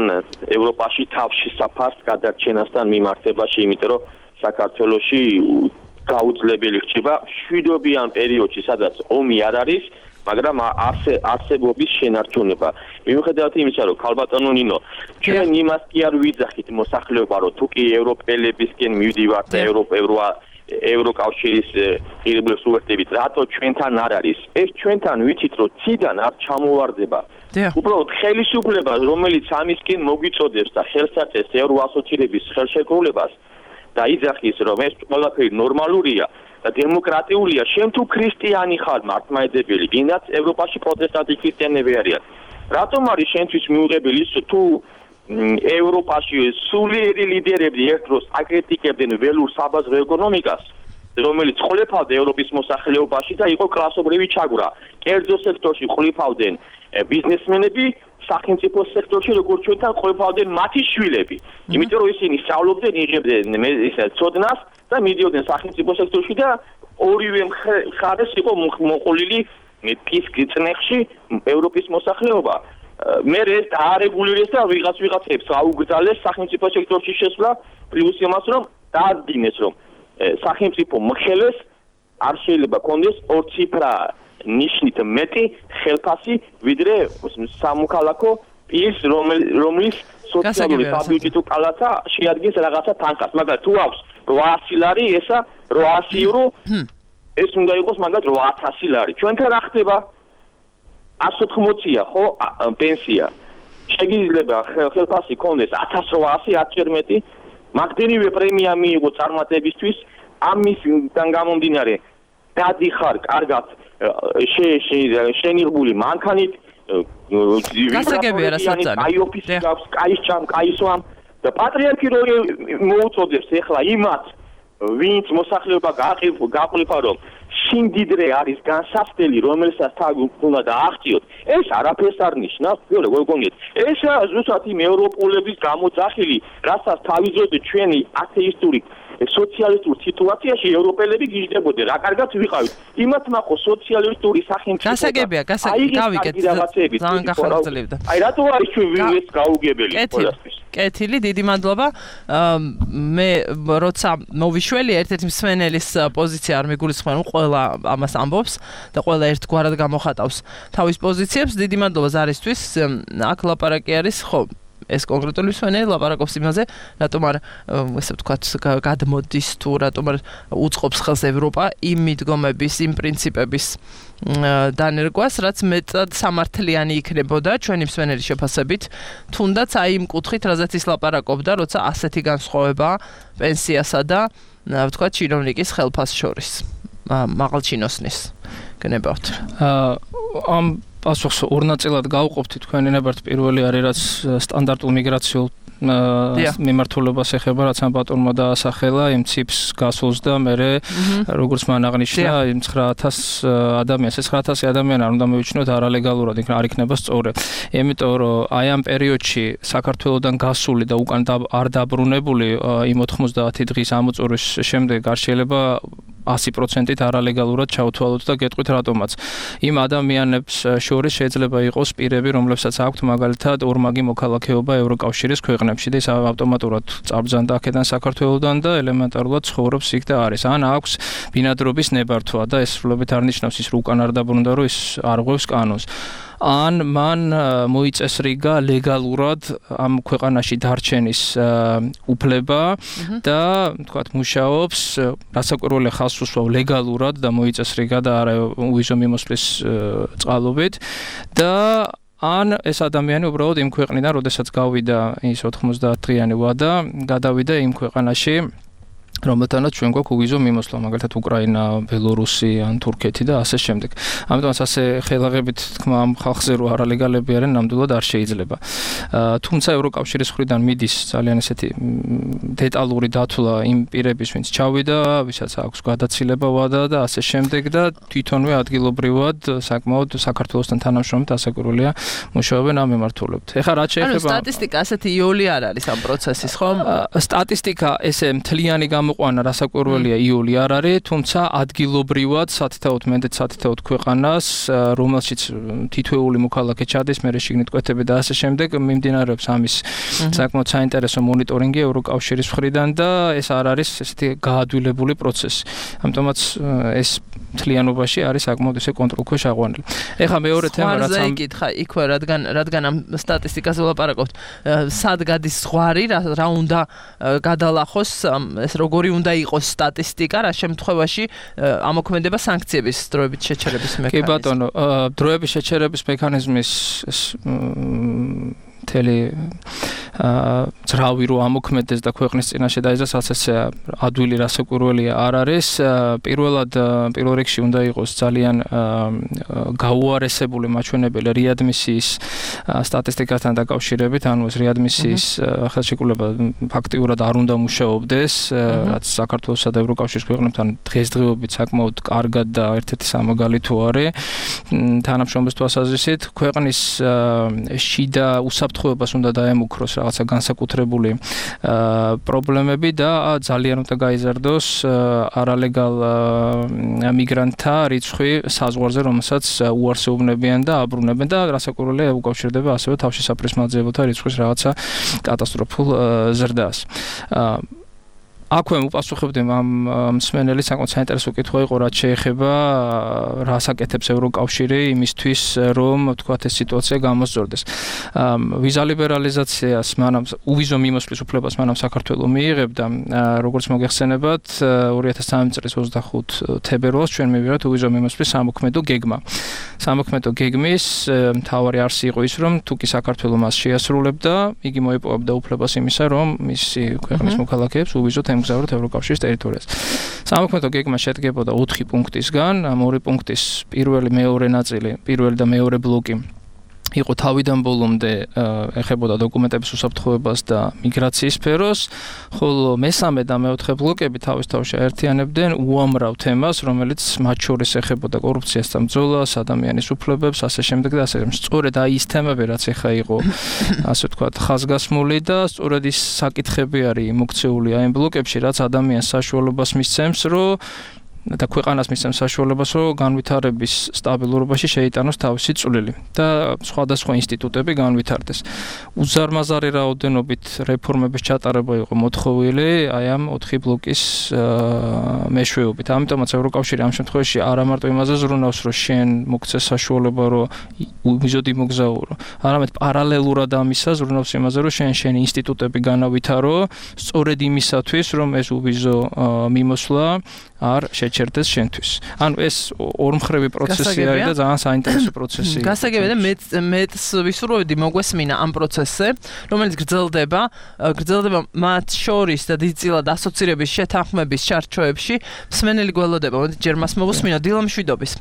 ევროპაში თავში საფარს გადარჩენასთან მიმართებაში, იმიტომ რომ საქართველოში გაუძლებელი ხდება შვიდობიან პერიოდში, სადაც ომი არ არის, მაგრამ ასე არსებობის შენარჩუნება. მიუხედავად იმისა, რომ ქალბატონო ნინო, ჩვენ იმას კი არ ვიძახით მოსახლეობა, რომ თუ კი ევროპელებისკენ მივდივართ და ევროპა ევროკავშირის ღირებულებს უერთდებით, რატო ჩვენთან არ არის? ეს ჩვენთან ვიცით, რომ ციდან არ ჩამოვარდება. უბრალოდ ხელისუფლება, რომელიც ამისკენ მოგვიწოდებს და ხელს აწევს ევროასოცირების ხელშეკრულებას და იძახის, რომ ეს ყველაფერი ნორმალურია და დემოკრატიულია, შენ თუ ქრისტიანი ხარ მართლმადიდებელი, ვინაც ევროპაში პროტესტანტი ქრისტიანები არიან. რატომ არის შენთვის მიუღებელი ის, თუ ევროპაში სულიერი ლიდერები ერთდროს აკრიტიკებდნენ ველურ საბაზრო ეკონომიკას, რომელიც ყოლიფავდა ევროპის მოსახლეობაში და იყო კლასობრივი ჩაგვრა. კერძო სექტორში ყოლიფავდნენ ბიზნესმენები, სახელმწიფო სექტორში როგორც ჩვენთან ყოლიფავდნენ მათი შვილები. იმიტომ რომ ისინი სწავლობდნენ, იღებდნენ ისე ცოდნას და მიდიოდნენ სახელმწიფო სექტორში და ორივე მხარეს იყო მოყოლილი ფისკის წნეხში ევროპის მოსახლეობა. მე ეს დაარეგულირეს და ვიღაც ვიღაცებს აუგზალეს სახელმწიფო სექტორში შესვლა, პლუს იმას რომ დაადგინეს, რომ სახელმწიფო მხელეს არ შეიძლება კონდეს ორციფრა ნიშნით მეტი ხელფასი ვიდრე სამოქალაქო ის რომლის სოციალური საბიუჯეტო თუ კალაცა შეადგენს რაღაცა თანხას მაგრამ თუ აქვს რვაასი ლარი ესა რვაასი ევრო ეს უნდა იყოს მაგათ რვაათასი ლარი ჩვენთან რა ხდება ათს ოთხმოცია ხო პენსია შეიძლება ხელფასი კონდეს ათას რვაასი ათჯერ მეტი მაგდენივე პრემია მიიღო წარმატებისთვის ამისგან გამომდინარე დადიხარ კარგად შენიღბული მანქანით გასაგებია რასაც აი ოფისი გაქვს კაი ჩამ კაი სვამ და პატრიარქი რო მოუწოდებს ეხლა იმათ ვინც მოსახლეობა გაყრიფა რომ სიმდიდრე არის განსაცდელი რომელსაც თავი უნდა დააღწიოთ ეს არაფერს არ ნიშნავს ვიოლე გოგონეთ ეს ზუსტად იმ ევროპულების გამოძახილი რასაც თავიზოთ ჩვენი ათეისტური სოციალისტურ სიტუაციაში ევროპელები გიждდებოდნენ რა კარგად ვიყავით იმათ ნახო სოციალისტური სახელმწიფო გასაგებია გავიკეთ ძალიან გახარჯებდა აი რატო არის ჩვენ ეს გაუგებელი ყველასთვის კეთილი დიდი მადლობა მე როცა მოვიშველი ერთ-ერთი მსმენელის პოზიცია არ მიგულისხმენ ყველა ამას ამბობს და ყველა ერთგვარად გამოხატავს თავის პოზიციებს დიდი მადლობა ზარისთვის აქ ლაპარაკი არის ხო ეს კონკრეტული მსმენელი ლაპარაკობს იმაზე რატომ არ ესე ვთქვათ გადმოდის თუ რატომ არ უწყობს ხელს ევროპა იმ მიდგომების იმ პრინციპების დანერგვას რაც მეტად სამართლიანი იქნებოდა ჩვენი მსმენელის შეფასებით თუნდაც აი იმ კუთხით რაზეც ის ლაპარაკობდა როცა ასეთი განსხვავება პენსიასა და ვთქვათ ჩინოვნიკის ხელფასს შორის მაღალჩინოსნის გნებავთ ამ პასუხს ორ ნაწილად გავყოფთ თქვენი ნებართ პირველი არის რაც სტანდარტულ მიგრაციულ მიმართულებას ეხება რაც ამ პატონმა დაასახელა იმ ციფს გასულს და მე როგორც მან აღნიშნა იმ ცხრა ათას ადამიანს ეს ცხრა ათასი ადამიანი არ უნდა მივიჩნიოთ არალეგალურად იქ არ იქნება სწორი იმიტომ რომ აი ამ პერიოდში საქართველოსდან გასული და უკან არ დაბრუნებული იმ ოთხმოცდაათი დღის ამოწურვის შემდეგ არ შეიძლება ასი პროცენტით არალეგალურად ჩავთვალოთ და გეტყვით რატომაც იმ ადამიანებს შორის შეიძლება იყოს პირები რომლებსაც აქვთ მაგალითად ორმაგი მოქალაქეობა ევროკავშირის ქვეყნებში და ის ავტომატურად წაბრძანდა აქედან საქართველოსდან და ელემენტარულად ცხოვრობს იქ და არის ან აქვს ბინადრობის ნებართვა და ეს სრულებით არ ნიშნავს ის რომ უკან არ დაბრუნდა რომ ის არ ღვევს კანონს ან მან მოიწესრიგა ლეგალურად ამ ქვეყანაში დარჩენის უფლება და თქვათ მუშაობს რასაკვირველია ხალხს უსვავ ლეგალურად და მოიწესრიგა და არა უვიზო მიმოსვლის წყალობით და ან ეს ადამიანი უბრალოდ იმ ქვეყნიდან როდესაც გავიდა ის ოთხმოცდაათ დღიანი ვადა გადავიდა იმ ქვეყანაში რომელთანაც ჩვენ გვაქვს უვიზო მიმოსვლა, მაგალითად უკრაინა, ბელორუსი, ან თურქეთი და ასე შემდეგ. ამიტომაც ასე ხელაღებით თქმა ამ ხალხზე რო არალეგალები არიან, ნამდვილად არ შეიძლება. თუმცა ევროკავშირის მხრიდან მიდის ძალიან ესეთი დეტალური დათვლა იმ პირების, ვინც ჩავიდა, ვისაც აქვს გადაცილება ვადა და ასე შემდეგ და თვითონვე ადგილობრივად საკმაოდ საქართველოსთან თანამშრომლობთ ასაკურველია მუშაობენ ამ მიმართულებით. ეხლა რაც შეეხება ანუ სტატისტიკა ასეთი იოლი არ არის ამ პროცესის, ხო? სტატისტიკა ესე მთლიანი ყვანა რასაკვირველია იული არ არის, თუმცა ადგილობრივად სათითაოდ მენდეთ სათითაოდ ქვეყანას, რომელშიც თითოეული მოქალაქე ჩადის, მერე შიგნით კვეთები და ასე შემდეგ, მიმდინარეობს ამის საკმაოდ საინტერესო მონიტორინგი ევროკავშირის მხრიდან და ეს არ არის ესეთი გაადვილებული პროცესი. ამიტომაც ეს მთლიანობაში არის საკმაოდ ესე კონტროლქვეშ აღვანილი. ეხლა მეორე თემა რაც ამ იკითხა იქვე რადგან რადგან ამ სტატისტიკაზე ვლაპარაკობთ, სად გადის ზღვარი, რა უნდა გადალახოს ეს როგორი უნდა იყოს სტატისტიკა, რა შემთხვევაში ამოქმედება სანქციების დროებით შეჩერების მექანიზმი. კი ბატონო, დროების შეჩერების მექანიზმის მთელი ძრავი რო ამოქმედეს და ქვეყნის წინაშე დაიძრას ასე ადვილი რასაკვირველია არ არის. პირველად პირველ რიგში უნდა იყოს ძალიან გაუარესებული მაჩვენებელი რეადმისიის სტატისტიკასთან დაკავშირებით, ანუ ეს რეადმისიის ხელშეკრულება ფაქტიურად არ უნდა მუშაობდეს, რაც საქართველოსა და ევროკავშირის ქვეყნებთან დღესდღეობით საკმაოდ კარგად და ერთ-ერთი სამაგალითო არის. თანამშრომლობის თვალსაზრისით ქვეყნის შიდა უსაფრთხოებას უნდა დაემუქროს რაღაცა განსაკუთრებული პრობლემები და ძალიან უნდა გაიზარდოს არალეგალ მიგრანტთა რიცხვი საზღვარზე, რომელსაც უარსეუბნებიან და აბრუნებენ და რასაკვირველია უკავშირდება ასევე თავშესაფრის მაძიებელთა რიცხვის რაღაცა კატასტროფულ ზრდას. აქვე უპასუხებდი ამ მსმენელის საკმაოდ საინტერესო კითხვა იყო, რაც შეეხება რას აკეთებს ევროკავშირი იმისთვის, რომ თქვათ ეს სიტუაცია გამოსწორდეს. ვიზა ლიბერალიზაციას მანამ უვიზო მიმოსვლის უფლებას მანამ საქართველო მიიღებდა, როგორც მოგეხსენებათ, ორი ათას სამი წლის ოცდახუთი თებერვალს ჩვენ მივიღეთ უვიზო მიმოსვლის სამოქმედო გეგმა. სამოქმედო გეგმის მთავარი არსი იყო ის, რომ თუ კი საქართველო მას შეასრულებდა, იგი მოიპოვებდა უფლებას იმისა, რომ მისი ქვეყნის მოქალაქეებს უვიზოდ ემგზავროთ ევროკავშირის ტერიტორიაზე. სამოქმედო გეგმა შედგებოდა ოთხი პუნქტისგან, ამ ორი პუნქტის პირველი, მეორე ნაწილი, პირველი და მეორე ბლოკი იყო თავიდან ბოლომდე ეხებოდა დოკუმენტების უსაფრთხოებას და მიგრაციის სფეროს, ხოლო მესამე და მეოთხე ბლოკები თავის თავში აერთიანებდნენ უამრავ თემას, რომელიც მათ შორის ეხებოდა კორუფციას და ბრძოლას, ადამიანის უფლებებს, ასე შემდეგ და ასე. სწორედ აი ის თემები, რაც ეხა იყო, ასე ვთქვათ, ხაზგასმული და სწორედ ის საკითხები არის მოქცეული აი ამ ბლოკებში, რაც ადამიანს საშუალებას მისცემს, რომ და ქვეყანას მისცემს საშუალებას, რომ განვითარების სტაბილურობაში შეიტანოს თავისი წვლილი და სხვადასხვა ინსტიტუტები განვითარდეს. უზარმაზარი რაოდენობით რეფორმების ჩატარება იყო მოთხოვილი აი ამ ოთხი ბლოკის მეშვეობით. ამიტომაც ევროკავშირი ამ შემთხვევაში არა მარტო იმაზე ზრუნავს, რომ შენ მოგცე საშუალება, რომ უვიზოდ იმოგზაურო, არამედ პარალელურად ამისა ზრუნავს იმაზე, რომ შენ შენი ინსტიტუტები განავითარო, სწორედ იმისათვის, რომ ეს უვიზო მიმოსვლა არ შეჩერდეს შენთვის. ანუ ეს ორმხრივი პროცესი არის და ძალიან საინტერესო პროცესი. გასაგებია და მეც მეც ვისურვებდი მოგვესმინა ამ პროცესზე, რომელიც გრძელდება, გრძელდება მათ შორის და დიდწილად ასოცირების შეთანხმების ჩარჩოებში. მსმენელი გველოდება, მოდი ჯერ მას მოვუსმინო, დილა მშვიდობის.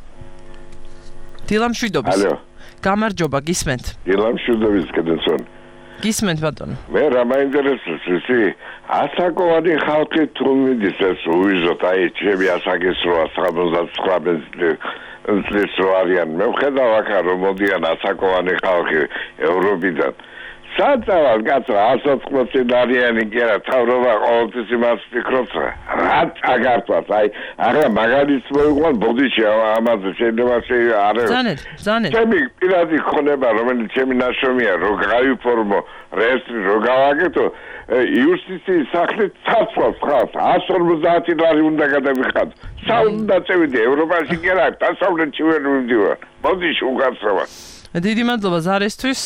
დილა მშვიდობის. ალო. გამარჯობა, გისმენთ. დილა მშვიდობის, კედენსონ. გისმენთ ბატონო. მე რა მაინტერესებს ისი ასაკოვანი ხალხი თუ მიდის ეს უვიზოთ აი ჩემი ასაკის რვა ოცდათხმეტ წლის რო არიან მე ვხედავ აქ რომ მოდიან ასაკოვანი ხალხი ევროპიდან საწავალ კაცო ასო წლიანი კი არა თავრობა ყოველთვის იმას ფიქრობს რა წაგართვათ აი არა მაგალითს მოიყვან ბოდიში ამაზე შეიძლება არა ზანეთ ზანეთ ჩემი პირადი ხონება რომელიც ჩემი ნაშრომია რო გაიფორმო რეესტრი რო გავაკეთო იუსტიციის სახლით ცაცვას ხავს εκατს ორმოცდაათი ლარი უნდა გადავიხადო საუნდა წევიდე ევროპაში კი არა დასავლეთში ვერ მივდივარ ბოდიში უკაცრავად დიდი მადლობა ზარისთვის.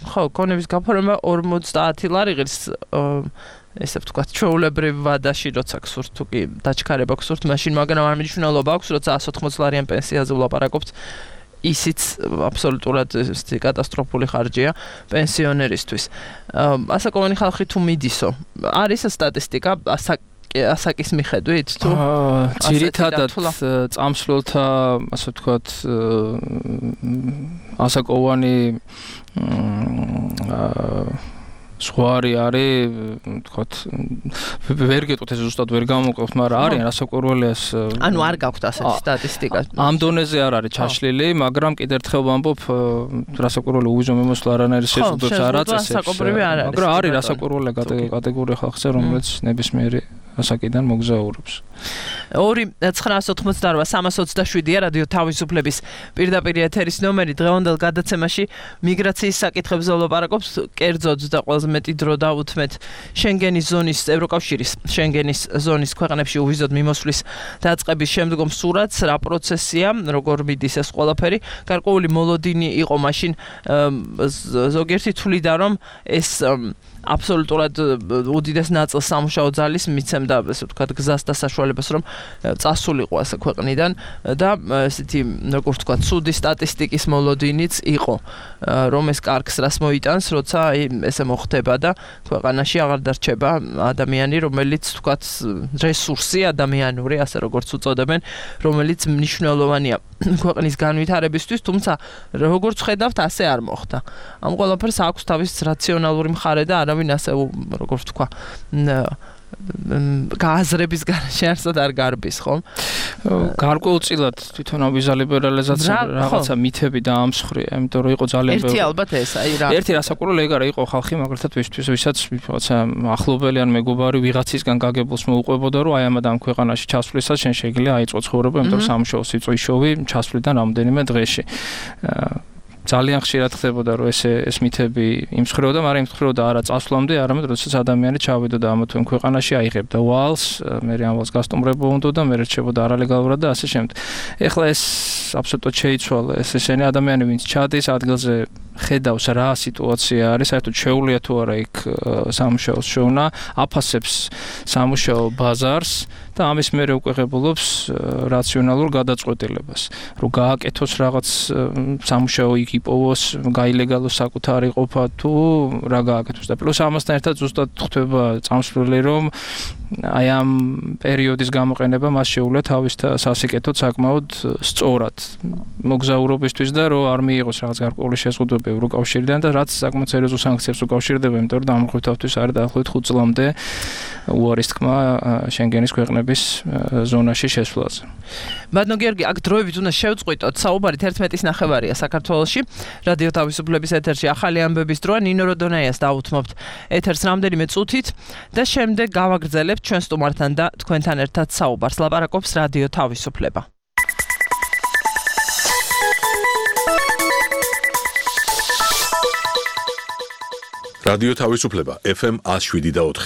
ხო, კონების გაფორმება ორმოცდაათი ლარი ღირს ესე ვთქვათ, ჩვეულებრივ ვადაში, როცა გსურთ თუ კი დაჩქარება გსურთ, მაშინ მაგრამ არ მნიშვნელობა აქვს, როცა εκατს ოცდაოთხ ლარიან პენსიაზე ვლაპარაკობთ. ისიც აბსოლუტურად კატასტროფული ხარჯია პენსიონერისთვის. ასაკოვანი ხალხი თუ მიდისო, არის სტატისტიკა ასაკ ასაკის მიხედვით თუ ძირითადად წამსვლელთა ასე ვთქვათ ასაკოვანი ზღვარი არის ვთქვათ ვერ გეტყვით ეს ზუსტად ვერ გამოვყევთ, მაგრამ არიან ასაკურველიას ანუ არ გაქვთ ასეთი სტატისტიკა ამ დონეზე არ არის ჩაშლილი, მაგრამ კიდევ ერთხელ ვამბობ ასაკურველი უვიზო მიმოსვლა არანაირ შეზღუდვებს არ აწესებს, მაგრამ არის ასაკურველი კატეგორია ხალხზე, რომელიც ნებისმიერი ასაკიდან მოგზაურობს. ორი ცხრაას ოთხმოცდარვა სამას ოცდაშვიდია რადიო თავისუფლების პირდაპირ ეთერის ნომერი. დღევანდელ გადაცემაში მიგრაციის საკითხებზე ვლაპარაკობთ, კერძოდ და ყველაზე მეტი დრო დავუთმეთ შენგენის ზონის ევროკავშირის შენგენის ზონის ქვეყნებში უვიზოდ მიმოსვლის დაწყების შემდგომ სურათს, რა პროცესია, როგორ მიდის ეს ყველაფერი. გარკვეული მოლოდინი იყო მაშინ ზოგიერთი თვლიდა, რომ ეს აბსოლუტურად უდიდეს ნაწილს სამუშაო ძალის მიცემდა, ასე ვთქვათ, გზას და საშუალებას, რომ წასულიყო ასე ქვეყნიდან და ესეთი, როგორ ვთქვათ, ცუდი სტატისტიკის მოლოდინიც იყო, რომ ეს კარგს რას მოიტანს, როცა ესე მოხდება და ქვეყანაში აღარ დარჩება ადამიანი, რომელიც ვთქვათ, რესურსი ადამიანური, ასე როგორც უწოდებენ, რომელიც მნიშვნელოვანია ქვეყნის განვითარებისთვის, თუმცა როგორც ხედავთ, ასე არ მოხდა. ამ ყველაფერს აქვს თავის რაციონალური მხარე და არავინ ასე როგორც თქვა გააზრების გარშე არსად არ გარბის, ხო? გარკვეულწილად თვითონ ვიზა ლიბერალიზაცია რაღაცა მითები და ამსხრია, იმიტომ რომ იყო ძალიან ერთი ალბათ ეს, აი რა. ერთი რასაკურველი ეგ არა, იყო ხალხი მაგალითად ვისთვის, ვისაც რაღაცა ახლობელი ან მეგობარი ვიღაცისგან გაგებულს მოუყვებოდა, რომ აი ამ ამ ქვეყანაში ჩასვლისას შენ შეიძლება აიწყო ცხოვრება, იმიტომ რომ სამუშაო სიწვიშოვი ჩასვლიდან რამდენიმე დღეში. ძალიან ხშირად ხდებოდა რომ ეს ეს მითები იმსხრევდა, მაგრამ იმსხრევდა არა წასვლამდე, არამედ როდესაც ადამიანი ჩავიდოდა ამა თუ იმ ქვეყანაში, აიღებდა ვალს, მე ამ ვალს გასტუმრებო უნდა და მე რჩებოდა არალეგალურად და ასე შემდეგ. ეხლა ეს აბსოლუტურად შეიცვალა, ეს ესენი ადამიანი ვინც ჩადის ადგილზე ხედავს რა სიტუაცია არის, საერთოდ შეუძლია თუ არა იქ სამუშაოს შოვნა, აფასებს სამუშაო ბაზარს და ამის მერე უკვე ღებულობს რაციონალურ გადაწყვეტილებას. რომ გააკეთოს რაღაც სამუშაო იქ იპოვოს, გაილეგალოს საკუთარი ყოფა თუ რა გააკეთოს და პლუს ამასთან ერთად ზუსტად ხდება წამსვლელი რომ აი ამ პერიოდის გამოყენება მას შეუძლია თავის სასიკეთოდ საკმაოდ სწორად მოგზაურობისთვის და რომ არ მიიღოს რაღაც გარკვეული შეზღუდვები ევროკავშირიდან და რაც საკმაოდ სერიოზულ სანქციებს უკავშირდება, იმიტომ რომ დამოუკიდებლობის არის დაახლოებით ხუთ წლამდე უარის თქმა შენგენის ქვეყნების ზონაში შესვლაზე. ბატონო გიორგი, აქ დროებით უნდა შევწყვიტოთ, საუბარი თერთმეტის ნახევარია საქართველოში. რადიო თავისუფლების ეთერში ახალი ამბების დროა, ნინო როდონაიას დაუთმობთ ეთერს რამდენიმე წუთით და შემდეგ გავაგრძელებთ ჩვენ სტუმართან და თქვენთან ერთად საუბარს. ლაპარაკობს რადიო თავისუფლება. რადიო თავისუფლება ეფ ემ one oh seven და four.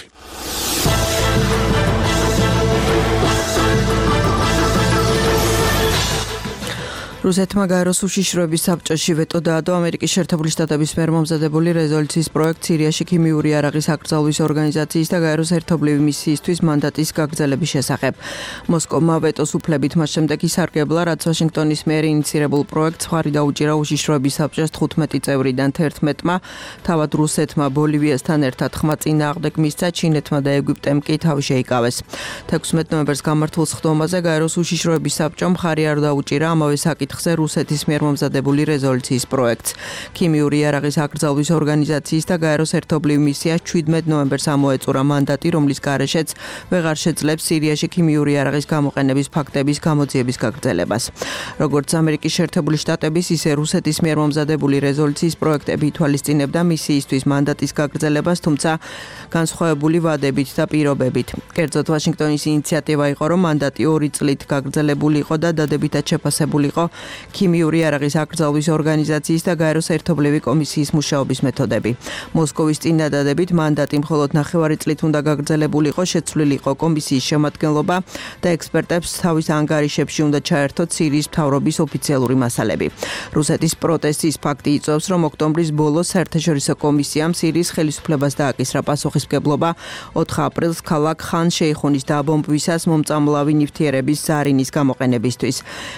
რუსეთმა გაეროს უშიშროების საბჭოში ვეტო დაადო ამერიკის შეერთებული შტატების მიერ მომზადებული რეზოლუციის პროექტ სირიაში ქიმიური იარაღის აკრძალვის ორგანიზაციის და გაეროს ერთობლივი მისიისთვის მანდატის გაგრძელების შესახებ. მოსკოვმა ვეტოს უფლებით მას შემდეგ ისარგებლა, რაც ვაშინგტონის მიერ ინიცირებულ პროექტს მხარი დაუჭირა უშიშროების საბჭოს თხუთმეტი წევრიდან თერთმეტმა, თავად რუსეთმა ბოლივიასთან ერთად ხმა წინააღმდეგ მისცა, ჩინეთმა და ეგვიპტემ კი თავი შეიკავეს. თექვსმეტ ნოემბერს გამართულ სხდომაზე გაეროს უშიშროების საბჭომ მხარი არ დაუჭირა ამავე საკითხს ხზე რუსეთის მიერ მომზადებული რეზოლუციის პროექტს. ქიმიური იარაღის აკრძალვის ორგანიზაციის და გაეროს ერთობლივ მისიას შვიდმეტ ნოემბერს ამოეწურა მანდატი, რომლის გარეშეც ვეღარ შეძლებს სირიაში ქიმიური იარაღის გამოყენების ფაქტების გამოძიების გაგრძელებას. როგორც ამერიკის შეერთებული შტატების, ისე რუსეთის მიერ მომზადებული რეზოლუციის პროექტები ითვალისწინებდა მისიისთვის მანდატის გაგრძელებას, თუმცა განსხვავებული ვადებით და პირობებით. კერძოდ ვაშინგტონის ინიციატივა იყო, რომ მანდატი ორი წლით გაგრძელებული იყო და დადებითად შეფასებული იყო ქიმიური იარაღის აკრძალვის ორგანიზაციის და გაეროს ერთობლივი კომისიის მუშაობის მეთოდები. მოსკოვის წინადადებით მანდატი მხოლოდ ნახევარი წლით უნდა გაგრძელებულიყო, შეცვლილი იყო კომისიის შემადგენლობა და ექსპერტებს თავის ანგარიშებში უნდა ჩაერთოთ სირიის მთავრობის ოფიციალური მასალები. რუსეთის პროტესტის ფაქტი იწვევს, რომ ოქტომბრის ბოლოს საერთაშორისო კომისიამ სირიის ხელისუფლებას დააკისრა პასუხისმგებლობა ოთხ აპრილს ქალაქ ხან შეიხუნის დაბომბვისას მომწამლავი ნივთიერების ზარინის გამოყენებისთვის.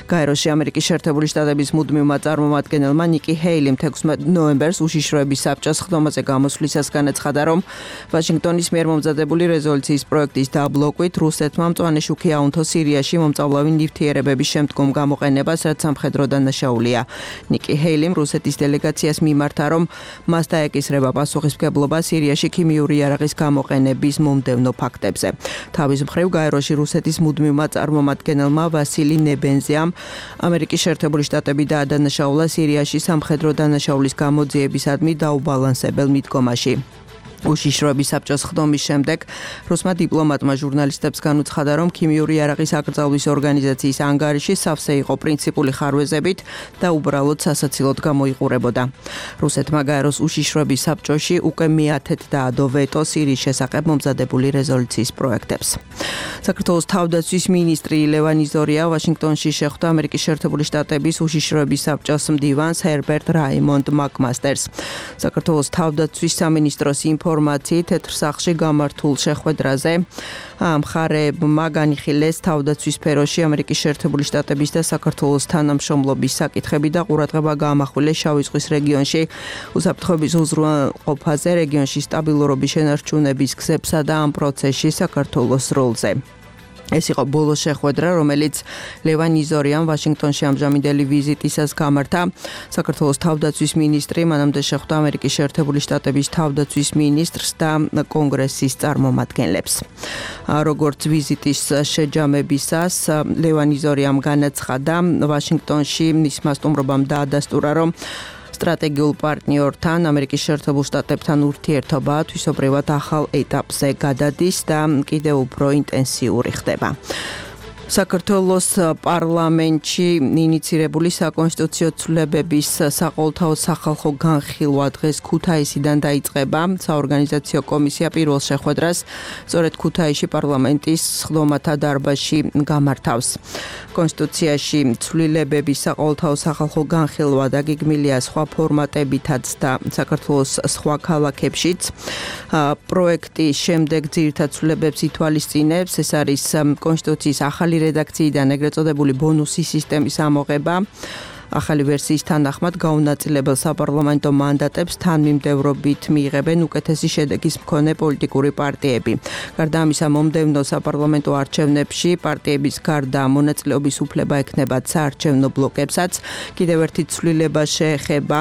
გაეროში ამერიკის შეერთებული შტატების მუდმივმა წარმომადგენელმა ნიკი ჰეილიმ თექვსმეტ ნოემბერს უშიშროების საბჭოს სხდომაზე გამოსვლისას განაცხადა, რომ ვაშინგტონის მიერ მომზადებული რეზოლუციის პროექტის დაბლოკვით რუსეთმა მწვანე შუქი აუნთო სირიაში მომწავლავი ნივთიერებების შემდგომ გამოყენებას, რაც სამხედრო დანაშაულია. ნიკი ჰეილიმ რუსეთის დელეგაციას მიმართა, რომ მას დაეკისრება პასუხისმგებლობა სირიაში ქიმიური იარაღის გამოყენების მომდევნო ფაქტებზე. თავის მხრივ გაეროში რუსეთის მუდმივმა წარმომადგენელმა ვასილი ნებენზიამ ამერიკის შეერთებული შტატები დაადანაშაულა სირიაში სამხედრო დანაშაულის გამოძიებისადმი დაუბალანსებელ მიდგომაში. უშიშროების საბჭოს ხდომის შემდეგ რუსმა დიპლომატმა ჟურნალისტებს განუცხადა, რომ ქიმიური იარაღის აკრძალვის ორგანიზაციის ანგარიში სავსე იყო პრინციპული ხარვეზებით და უბრალოდ სასაცილოდ გამოიყურებოდა. რუსეთმა გაეროს უშიშროების საბჭოში უკვე მეათედ დაადო ვეტო სირიის შესახებ მომზადებული რეზოლუციის პროექტებს. საქართველოს თავდაცვის მინისტრი ლევან იზორია ვაშინგტონში შეხვდა ამერიკის შეერთებული შტატების უშიშროების საბჭოს მდივანს ჰერბერტ რაიმონდ მაკმასტერს. საქართველოს თავდაცვის სამინისტროს ინფორმაციით თეთრ სახლში გამართულ შეხვედრაზე მხარეებმა განიხილეს თავდაცვის სფეროში ამერიკის შეერთებული შტატების და საქართველოს თანამშრომლობის საკითხები და ყურადღება გაამახვილეს შავი ზღვის რეგიონში უსაფრთხოების უზრუნველყოფაზე, რეგიონში სტაბილურობის შენარჩუნების გზებსა და ამ პროცესში საქართველოს როლზე. ეს იყო ბოლო შეხვედრა, რომელიც ლევან იზორიამ ვაშინგტონში ამჟამინდელი ვიზიტისას გამართა. საქართველოს თავდაცვის მინისტრი მანამდე შეხვდა ამერიკის შეერთებული შტატების თავდაცვის მინისტრს და კონგრესის წარმომადგენლებს. როგორც ვიზიტის შეჯამებისას ლევან იზორიამ განაცხადა, ვაშინგტონში მისმა სტუმრობამ დაადასტურა, რომ სტრატეგიულ პარტნიორთან ამერიკის შეერთებულ შტატებთან ურთიერთობა თვისობრივად ახალ ეტაპზე გადადის და კიდევ უფრო ინტენსიური ხდება. საქართველოს პარლამენტში ინიცირებული საკონსტიტუციო ცვლილებების საყოველთაო სახალხო განხილვა დღეს ქუთაისიდან დაიწყება. საორგანიზაციო კომისია პირველ შეხვედრას სწორედ ქუთაისში პარლამენტის სხდომათა დარბაზში გამართავს. კონსტიტუციაში ცვლილებების საყოველთაო სახალხო განხილვა დაგეგმილია სხვა ფორმატებითაც და საქართველოს სხვა ქალაქებშიც. პროექტის შემდეგ ძირითად ცვლილებებს ითვალისწინებს. ეს არის კონსტიტუციის ახალი რედაქციიდან ეგრეთ წოდებული ბონუსის სისტემის ამოღება. ახალი ვერსიის თანახმად გაუნაწილებელ საპარლამენტო მანდატებს თანმიმდევრობით მიიღებენ უკეთესი შედეგის მქონე პოლიტიკური პარტიები. გარდა ამისა, მომდევნო საპარლამენტო არჩევნებში პარტიების გარდა მონაწილეობის უფლება ექნებათ საარჩევნო ბლოკებსაც. კიდევ ერთი ცვლილება შეეხება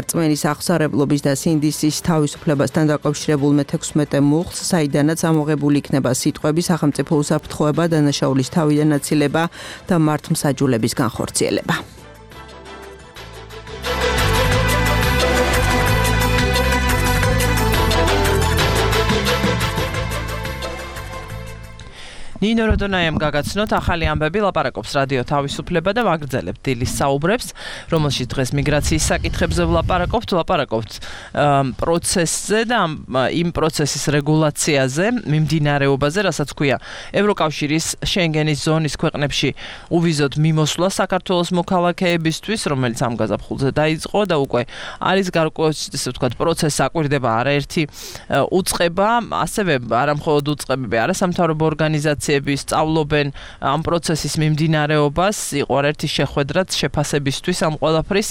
რწმენის აღსარებლობის და სინდისის თავისუფლებასთან დაკავშირებულ მეთექვსმეტე მუხლს, საიდანაც ამოღებული იქნება სიტყვები სახელმწიფო უსაფრთხოება, დანაშაულის თავიდან აცილება და მართლმსაჯულების განხორციელება. ნინო როდონაიამ გაგაცნოთ ახალი ამბები, ლაპარაკობს რადიო თავისუფლება და ვაგრძელებთ დილის საუბრებს, რომელშიც დღეს მიგრაციის საკითხებზე ვლაპარაკობთ, ვლაპარაკობთ პროცესზე და იმ პროცესის რეგულაციაზე, მიმდინარეობაზე, რასაც ქვია ევროკავშირის შენგენის ზონის ქვეყნებში უვიზოდ მიმოსვლა საქართველოს მოქალაქეებისთვის, რომელიც ამ გაზაფხულზე დაიწყო და უკვე არის გარკვეული, ესე ვთქვათ, პროცესს აკვირდება არაერთი უწყება, ასევე არამხოლოდ უწყებები, არასამთავრობო ორგანიზაციები სწავლობენ ამ პროცესის მიმდინარეობას, იყო ერთი შეხვედრაც შეფასებისთვის ამ ყველაფრის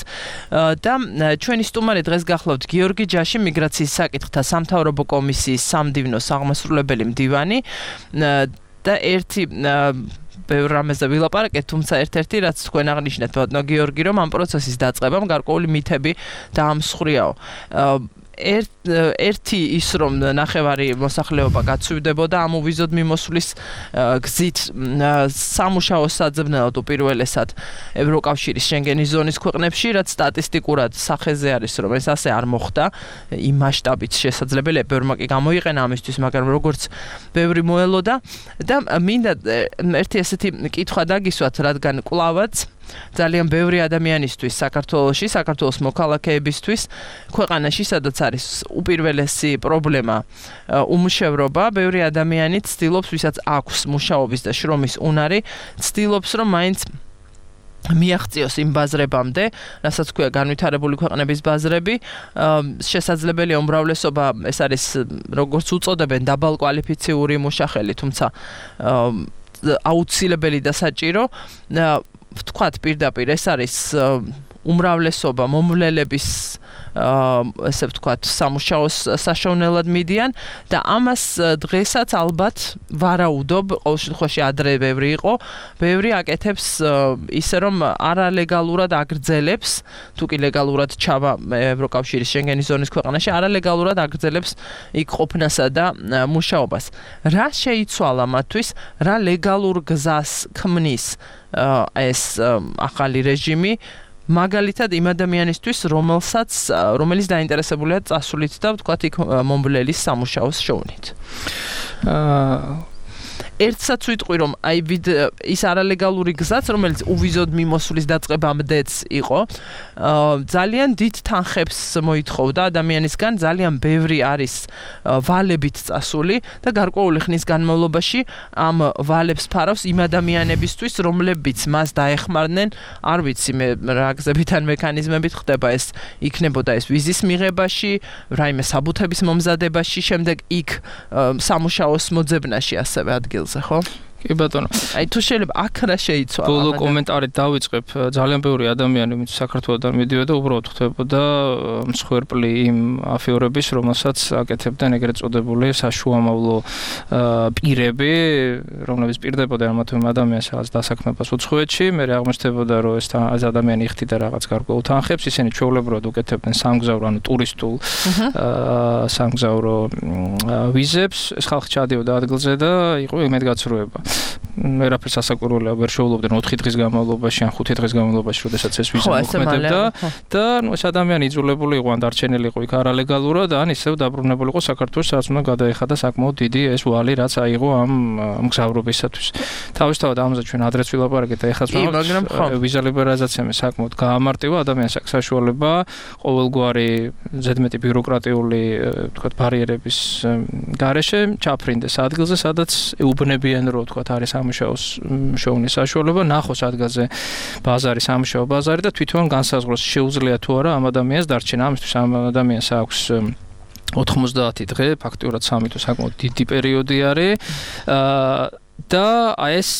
და ჩვენი სტუმარი დღეს გახლავთ გიორგი ჯაში, მიგრაციის საკითხთა სამთავრობო კომისიის სამდივნოს აღმასრულებელი მდივანი და ერთი ბევრ რამეზე ვილაპარაკეთ, თუმცა ერთ-ერთი რაც თქვენ აღნიშნეთ, ბატონო გიორგი, რომ ამ პროცესის დაწყებამ გარკვეული მითები დაამსხვრიაო. ერთ ერთი ის რომ ნახევარი მოსახლეობა გაცვივდებოდა ამ უვიზოდ მიმოსვლის გზით სამუშაო საძებნელად უპირველესად ევროკავშირის შენგენის ზონის ქვეყნებში, რაც სტატისტიკურად სახეზე არის, რომ ეს ასე არ მოხდა იმ მასშტაბით შესაძლებელია, ბევრმა კი გამოიყენა ამისთვის, მაგრამ როგორც ბევრი მოელოდა და მინდა ერთი ესეთი კითხვა დაგისვათ, რადგან კვლავაც ძალიან ბევრი ადამიანისთვის საქართველოში, საქართველოს მოქალაქეებისთვის, ქვეყანაში, სადაც არის უპირველესი პრობლემა უმუშევრობა, ბევრი ადამიანი ცდილობს, ვისაც აქვს მუშაობის და შრომის უნარი, ცდილობს, რომ მაინც მიაღწიოს იმ ბაზრებამდე, რასაც ქვია განვითარებული ქვეყნების ბაზრები, შესაძლებელია უმრავლესობა, ეს არის როგორც უწოდებენ დაბალკვალიფიციური მუშახელი, თუმცა აუცილებელი და საჭირო ვთქვათ პირდაპირ ეს არის უმრავლესობა მომვლელების ესე ვთქვათ სამუშაოს საშოვნელად მიდიან და ამას დღესაც ალბათ ვარაუდობ, ყოველ შემთხვევაში ადრე ბევრი იყო, ბევრი აკეთებს ისე რომ არალეგალურად აგრძელებს, თუ კი ლეგალურად ჩავა ევროკავშირის შენგენის ზონის ქვეყანაში, არალეგალურად აგრძელებს იქ ყოფნასა და მუშაობას. რა შეიცვალა მათთვის, რა ლეგალურ გზას ქმნის ეს ახალი რეჟიმი, მაგალითად იმ ადამიანისთვის, რომელსაც რომელიც დაინტერესებულია წასვლით და ვთქვათ იქ მომბლელის სამუშაოს შოვნით. აა ერთსაც ვიტყვი, რომ აი ის არალეგალური გზაც, რომელიც უვიზოდ მიმოსვლის დაწყებამდეც იყო, ძალიან დიდ თანხებს მოითხოვდა ადამიანისგან, ძალიან ბევრი არის ვალებით წასული და გარკვეული ხნის განმავლობაში ამ ვალებს ფარავს იმ ადამიანებისთვის, რომლებიც მას დაეხმარნენ, არ ვიცი მე რა გზებით ან მექანიზმებით ხდება ეს, იქნებოდა ეს ვიზის მიღებაში, რაიმე საბუთების მომზადებაში, შემდეგ იქ სამუშაოს მოძებნაში ასევე ადგილ ხო? კი ბატონო. აი თუ შეიძლება აქ რა შეიცვალა? ბოლო კომენტარით დავიწყებ, ძალიან ბევრი ადამიანი, ვინც საქართველოსთან მიდიოდა, უბრალოდ ხვდებოდა მსხვერპლი იმ აფიორების, რომელსაც აკეთებდნენ ეგრეთ წოდებული საშუამავლო პირები, რომლებიც პირდებოდა ამ თუ იმ ადამიანს რაღაც დასაქმებას უცხოეთში, მე აღმოჩნდებოდა, რომ ეს ადამიანი იხდიდა რაღაც გარკვეულ თანხებს, ისინი ჩვეულებრივად უკეთებდნენ სამგზავრო, ანუ ტურისტულ სამგზავრო ვიზებს, ეს ხალხი ჩადიოდა ადგილზე და იყო იმედგაცრუება. ვერაფერს ასაკვირველია ვერ შეულობდნენ ოთხი დღის განმავლობაში ან ხუთი დღის განმავლობაში, როდესაც ეს ვიზა მოქმედებდა და ნუ ეს ადამიანი იძულებული იყო ან დარჩენილი იყო იქ არალეგალურად, ან ისევ დაბრუნებული იყო საქართველოს, სადაც უნდა გადაეხადა საკმაოდ დიდი ეს ვალი, რაც აიღო ამ მგზავრობისათვის. თავისთავად ამაზე ჩვენ ადრეც ვილაპარაკეთ და ეხლაც ვიზა ლიბერალიზაცია საკმაოდ გაამარტივა ადამიანს აქვს საშუალება ყოველგვარი ზედმეტი ბიუროკრატიული თქვათ ბარიერების გარეშე ჩაფრინდეს ადგილზე, სადაც ეუბნებიან რომ თქვათ არის სამუშაოს შოვნის საშუალება, ნახოს ადგილზე ბაზარი, სამუშაო ბაზარი და თვითონ განსაზღვროს შეუძლია თუ არა ამ ადამიანს დარჩენა. ამისთვის ამ ადამიანს აქვს ოთხმოცდაათი დღე, ფაქტიურად სამი თუ საკმაოდ დიდი პერიოდი არის და აი ეს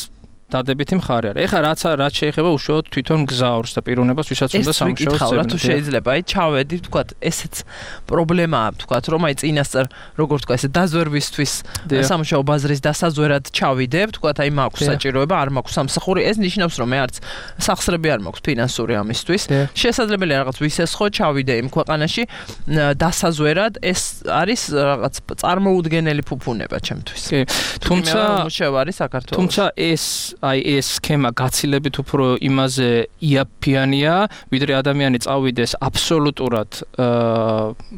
დადებითი მხარე არის. ეხლა რაც რაც შეეხება უშუალოდ თვითონ გზავრს და პიროვნებას, ვისაც უნდა სამუშაოს წერა. თუ შეიძლება, აი ჩავედი, თქვათ, ესეც პრობლემაა, თქვათ, რომ აი წინასწარ, როგორ თქვა, ესე დაზვერვისთვის სამუშაო ბაზრის დასაზვერად ჩავიდებ, თქვათ, აი მაქვს საჭიროება, არ მაქვს სამსახური, ეს ნიშნავს, რომ მე არც სახსრები არ მაქვს ფინანსური ამისთვის. შესაძლებელია რაღაც ვისესხო, ჩავიდე იმ ქვეყანაში დასაზვერად, ეს არის რაღაც წარმოუდგენელი ფუფუნება ჩემთვის. კი, თუმცა მუშევარი საქართველოს. თუმცა ეს აი ეს სქემა გაცილებით უფრო იმაზე იაფიანია, ვიდრე ადამიანი წავიდეს აბსოლუტურად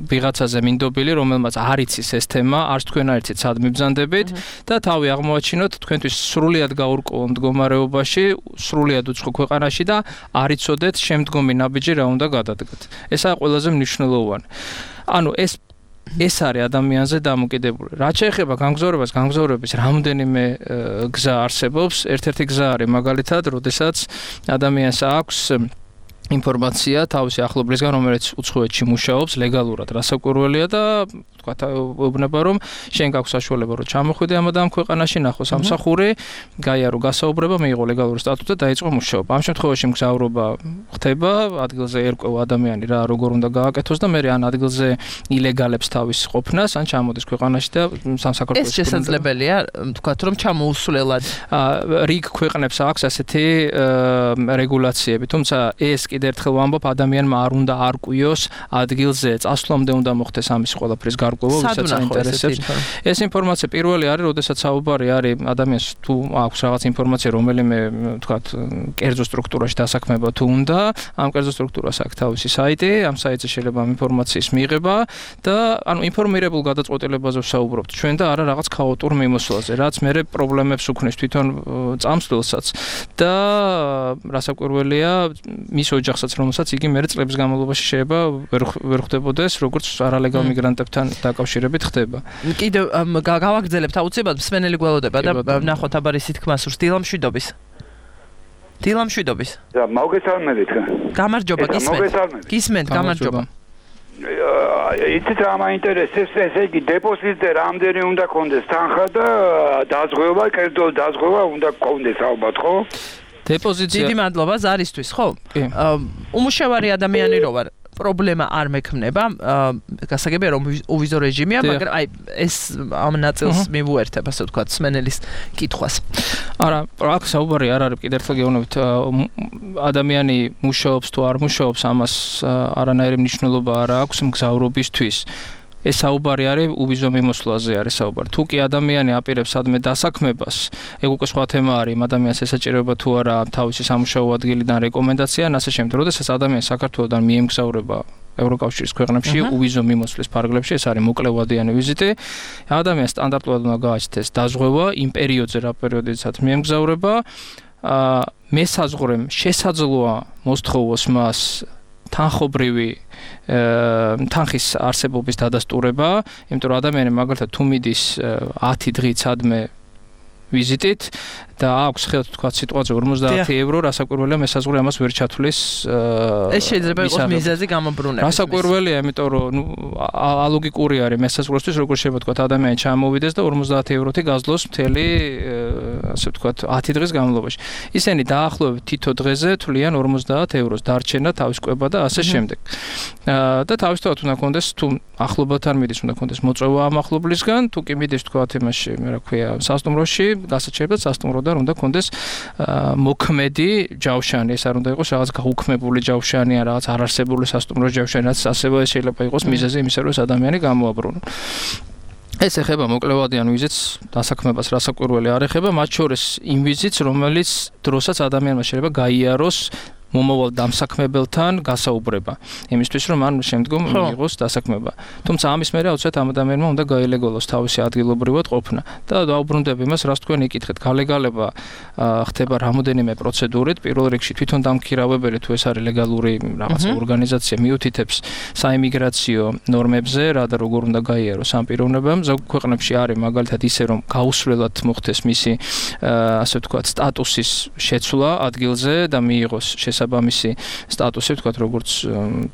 ვიღაცაზე მინდობილი, რომელმაც არ იცის ეს თემა, არც თქვენ არ იცით სად მიბრძანდებით და თავი აღმოაჩინოთ თქვენთვის სრულიად გაურკვეველ მდგომარეობაში, სრულიად უცხო ქვეყანაში და არ იცოდეთ შემდგომი ნაბიჯი რა უნდა გადადგეთ. ესაა ყველაზე მნიშვნელოვანი. ანუ ეს ეს არის ადამიანზე დამოკიდებული. რაც შეეხება განგზავრებას, განგზავრების რამდენიმე გზა არსებობს. ერთ-ერთი გზა არის მაგალითად, როდესაც ადამიანს აქვს ინფორმაცია თავისი ახლობლისგან, რომელიც უცხოეთში მუშაობს ლეგალურად, რასაკვირველია და თქვა ეუბნება რომ შენ გაქვს საშუალება რომ ჩამოხვიდე ამ ამ ქვეყანაში, ნახო სამსახური, გაიარო გასაუბრება, მიიღო ლეგალური სტატუსი და დაიწყო მუშაობა. ამ შემთხვევაში მგზავრობა ხდება, ადგილზე ერკვევა ადამიანი რა როგორ უნდა გააკეთოს და მე ან ადგილზე ილეგალებს თავის ყოფნას, ან ჩამოდის ქვეყანაში და სამსახურში. ეს შესაძლებელია, თქვა რომ ჩამოუსვლელად რიგ ქვეყნებს აქვს ასეთი რეგულაციები, თუმცა ეს კიდევ ერთხელ ვამბობ, ადამიანმა არ უნდა არკვიოს ადგილზე წასვლამდე უნდა მოხდეს ამის ყველაფრის გარკვევა, ვისაც აინტერესებს. ეს ინფორმაცია პირველი არის, როდესაც საუბარი არის ადამიანს თუ აქვს რაღაც ინფორმაცია, რომელიმე თქვათ კერძო სტრუქტურაში დასაქმება თუ უნდა, ამ კერძო სტრუქტურას აქვს თავისი საიტი, ამ საიტზე შეიძლება ამ ინფორმაციის მიღება და ანუ ინფორმირებულ გადაწყვეტილებაზე ვსაუბრობთ ჩვენ და არა რაღაც ქაოტურ მიმოსვლაზე, რაც მერე პრობლემებს უქმნის თვითონ წამსვლელსაც და რასაკვირველია მის ოჯახსაც, რომელსაც იგი მერე წლების განმავლობაში შეიძლება ვერ ხვდებოდეს, როგორც არალეგალ მიგრანტებთან დაკავშირებით ხდება. კიდევ გავაგრძელებთ აუცილებლად მსმენელი გველოდება და ვნახოთ აბა ისი თქმა სურს დილამშვიდობის. დილამშვიდობის. და მოგესალმებით. გამარჯობა, გისმენთ. გისმენთ, გამარჯობა. იცით რა მაინტერესებს, ესე იგი დეპოზიტზე რამდენი უნდა კონდეს თანხა და დაზღვევა, კერძო დაზღვევა უნდა კონდეს ალბათ, ხო? დეპოზიტი. დიდი მადლობა ზარისთვის, ხო? უმუშევარი ადამიანი რო ვარ, პრობლემა არ მექმნება, გასაგებია რომ უვიზო რეჟიმია, მაგრამ აი ეს ამ ნაწილს მივუერთებ, ასე ვთქვათ, სმენელის კითხვას. არა, აქ საუბარი არ არის, კიდევ ერთხელ გეუბნებით, ადამიანი მუშაობს თუ არ მუშაობს, ამას არანაირი მნიშვნელობა არ აქვს მგზავრობისთვის. ეს საუბარი არის უვიზო მიმოსვლაზე არის საუბარი. თუ კი ადამიანი აპირებს სადმე დასაქმებას, ეგ უკვე სხვა თემა არის, იმ ადამიანს ესაჭიროება თუ არა თავისი სამუშაო ადგილიდან რეკომენდაცია, ასე შემდეგ. როდესაც ადამიანი საქართველოსთან მიემგზავრება ევროკავშირის ქვეყნებში, უვიზო მიმოსვლის ფარგლებში, ეს არის მოკლევადიანი ვიზიტი. ადამიანს სტანდარტულად უნდა გააჩნდეს დაზღვევა იმ პერიოდზე, რა პერიოდითაც მიემგზავრება. მესაზღვრემ შესაძლოა მოსთხოვოს მას თანხობრივი თანხის არსებობის დადასტურება, იმიტომ რომ ადამიანი მაგალითად თუ მიდის ათი დღით სადმე ვიზიტით და აქვს ხელთ თქვა სიტუაცია ორმოცდაათი ევრო, რასაკვირველია მესაზღვრე ამას ვერ ჩათვლის. ეს შეიძლება იყოს მიზეზი გამობრუნების. რასაკვირველია, იმიტომ რომ ნუ ალოგიკური არის მესაზღვრისთვის, როგორ შეიძლება თქვა ადამიანი ჩამოვიდეს და ორმოცდაათი ევროთი გაძლოს მთელი ასე ვთქვათ ათი დღის განმავლობაში. ისინი დაახლოებით თითო დღეზე თვლიან ორმოცდაათ ევროს დარჩენა, თავის კვება და ასე შემდეგ. და თავისთავად უნდა კონდეს თუ ახლობელთან მიდის, უნდა კონდეს მოწვევა ამ ახლობლისგან, თუ კი მიდის თქვა იმაში, რა ქვია, სასტუმროში, გასაჩერებლად სასტუმროდან უნდა კონდეს მოქმედი ჯავშანი, ეს არ უნდა იყოს რაღაც გაუქმებული ჯავშანი, რაღაც არარსებული სასტუმრო ჯავშანი, რაც ასევე შეიძლება იყოს მიზეზი იმისა, რომ ადამიანი გამოაბრუნოს. ეს ეხება მოკლევადიან ვიზიტს დასაქმებას, რასაკვირველი არ ეხება, მათ შორის იმ ვიზიტს, რომელიც დროსაც ადამიანმა შეიძლება გაიაროს მომავალ დამსაქმებელთან გასაუბრება, იმისთვის რომ ან შემდგომ მიიღოს დასაქმება. თუმცა ამის მერე აუცილებლად ამ ადამიანმა უნდა გაილეგალოს თავისი ადგილობრივად ყოფნა და დაუბრუნდები იმას, რას თქვენ იკითხეთ, გალეგალება ხდება რამოდენიმე პროცედურით, პირველ რიგში თვითონ დამქირავებელი თუ ეს არის ლეგალური რაღაცა ორგანიზაცია მიუთითებს საიმიგრაციო ნორმებზე, რა და როგორ უნდა გაიაროს ამ პიროვნებამ. ზოგ ქვეყნებში არის მაგალითად ისე რომ გაუსვლელად მოხდეს მისი ასე ვთქვათ სტატუსის შეცვლა ადგილზე და მიიღოს საბამისი სტატუსი ვთქვათ როგორც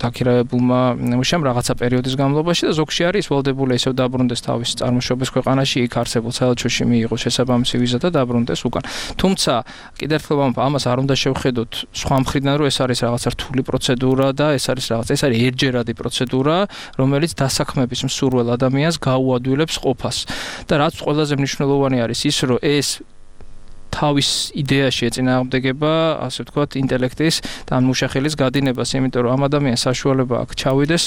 დაქირავებულმა მუშამ რაღაცა პერიოდის განმავლობაში და ზოგში არის ვალდებული ისევ დაბრუნდეს თავის წარმოშობის ქვეყანაში, იქ არსებულ საელჩოში მიიღოს შესაბამისი ვიზა და დაბრუნდეს უკან. თუმცა კიდევ ერთხელ ამას არ უნდა შევხედოთ სხვა მხრიდან, რომ ეს არის რაღაცა რთული პროცედურა და ეს არის რაღაც ეს არის ერთჯერადი პროცედურა, რომელიც დასაქმების მსურველ ადამიანს გაუადვილებს ყოფას. და რაც ყველაზე მნიშვნელოვანი არის ის, რომ ეს თავის იდეაში ეწინააღმდეგება, ასე ვთქვათ, ინტელექტის და მუშახელის გადინებას, იმიტომ რომ ამ ადამიანს საშუალება აქვს ჩავიდეს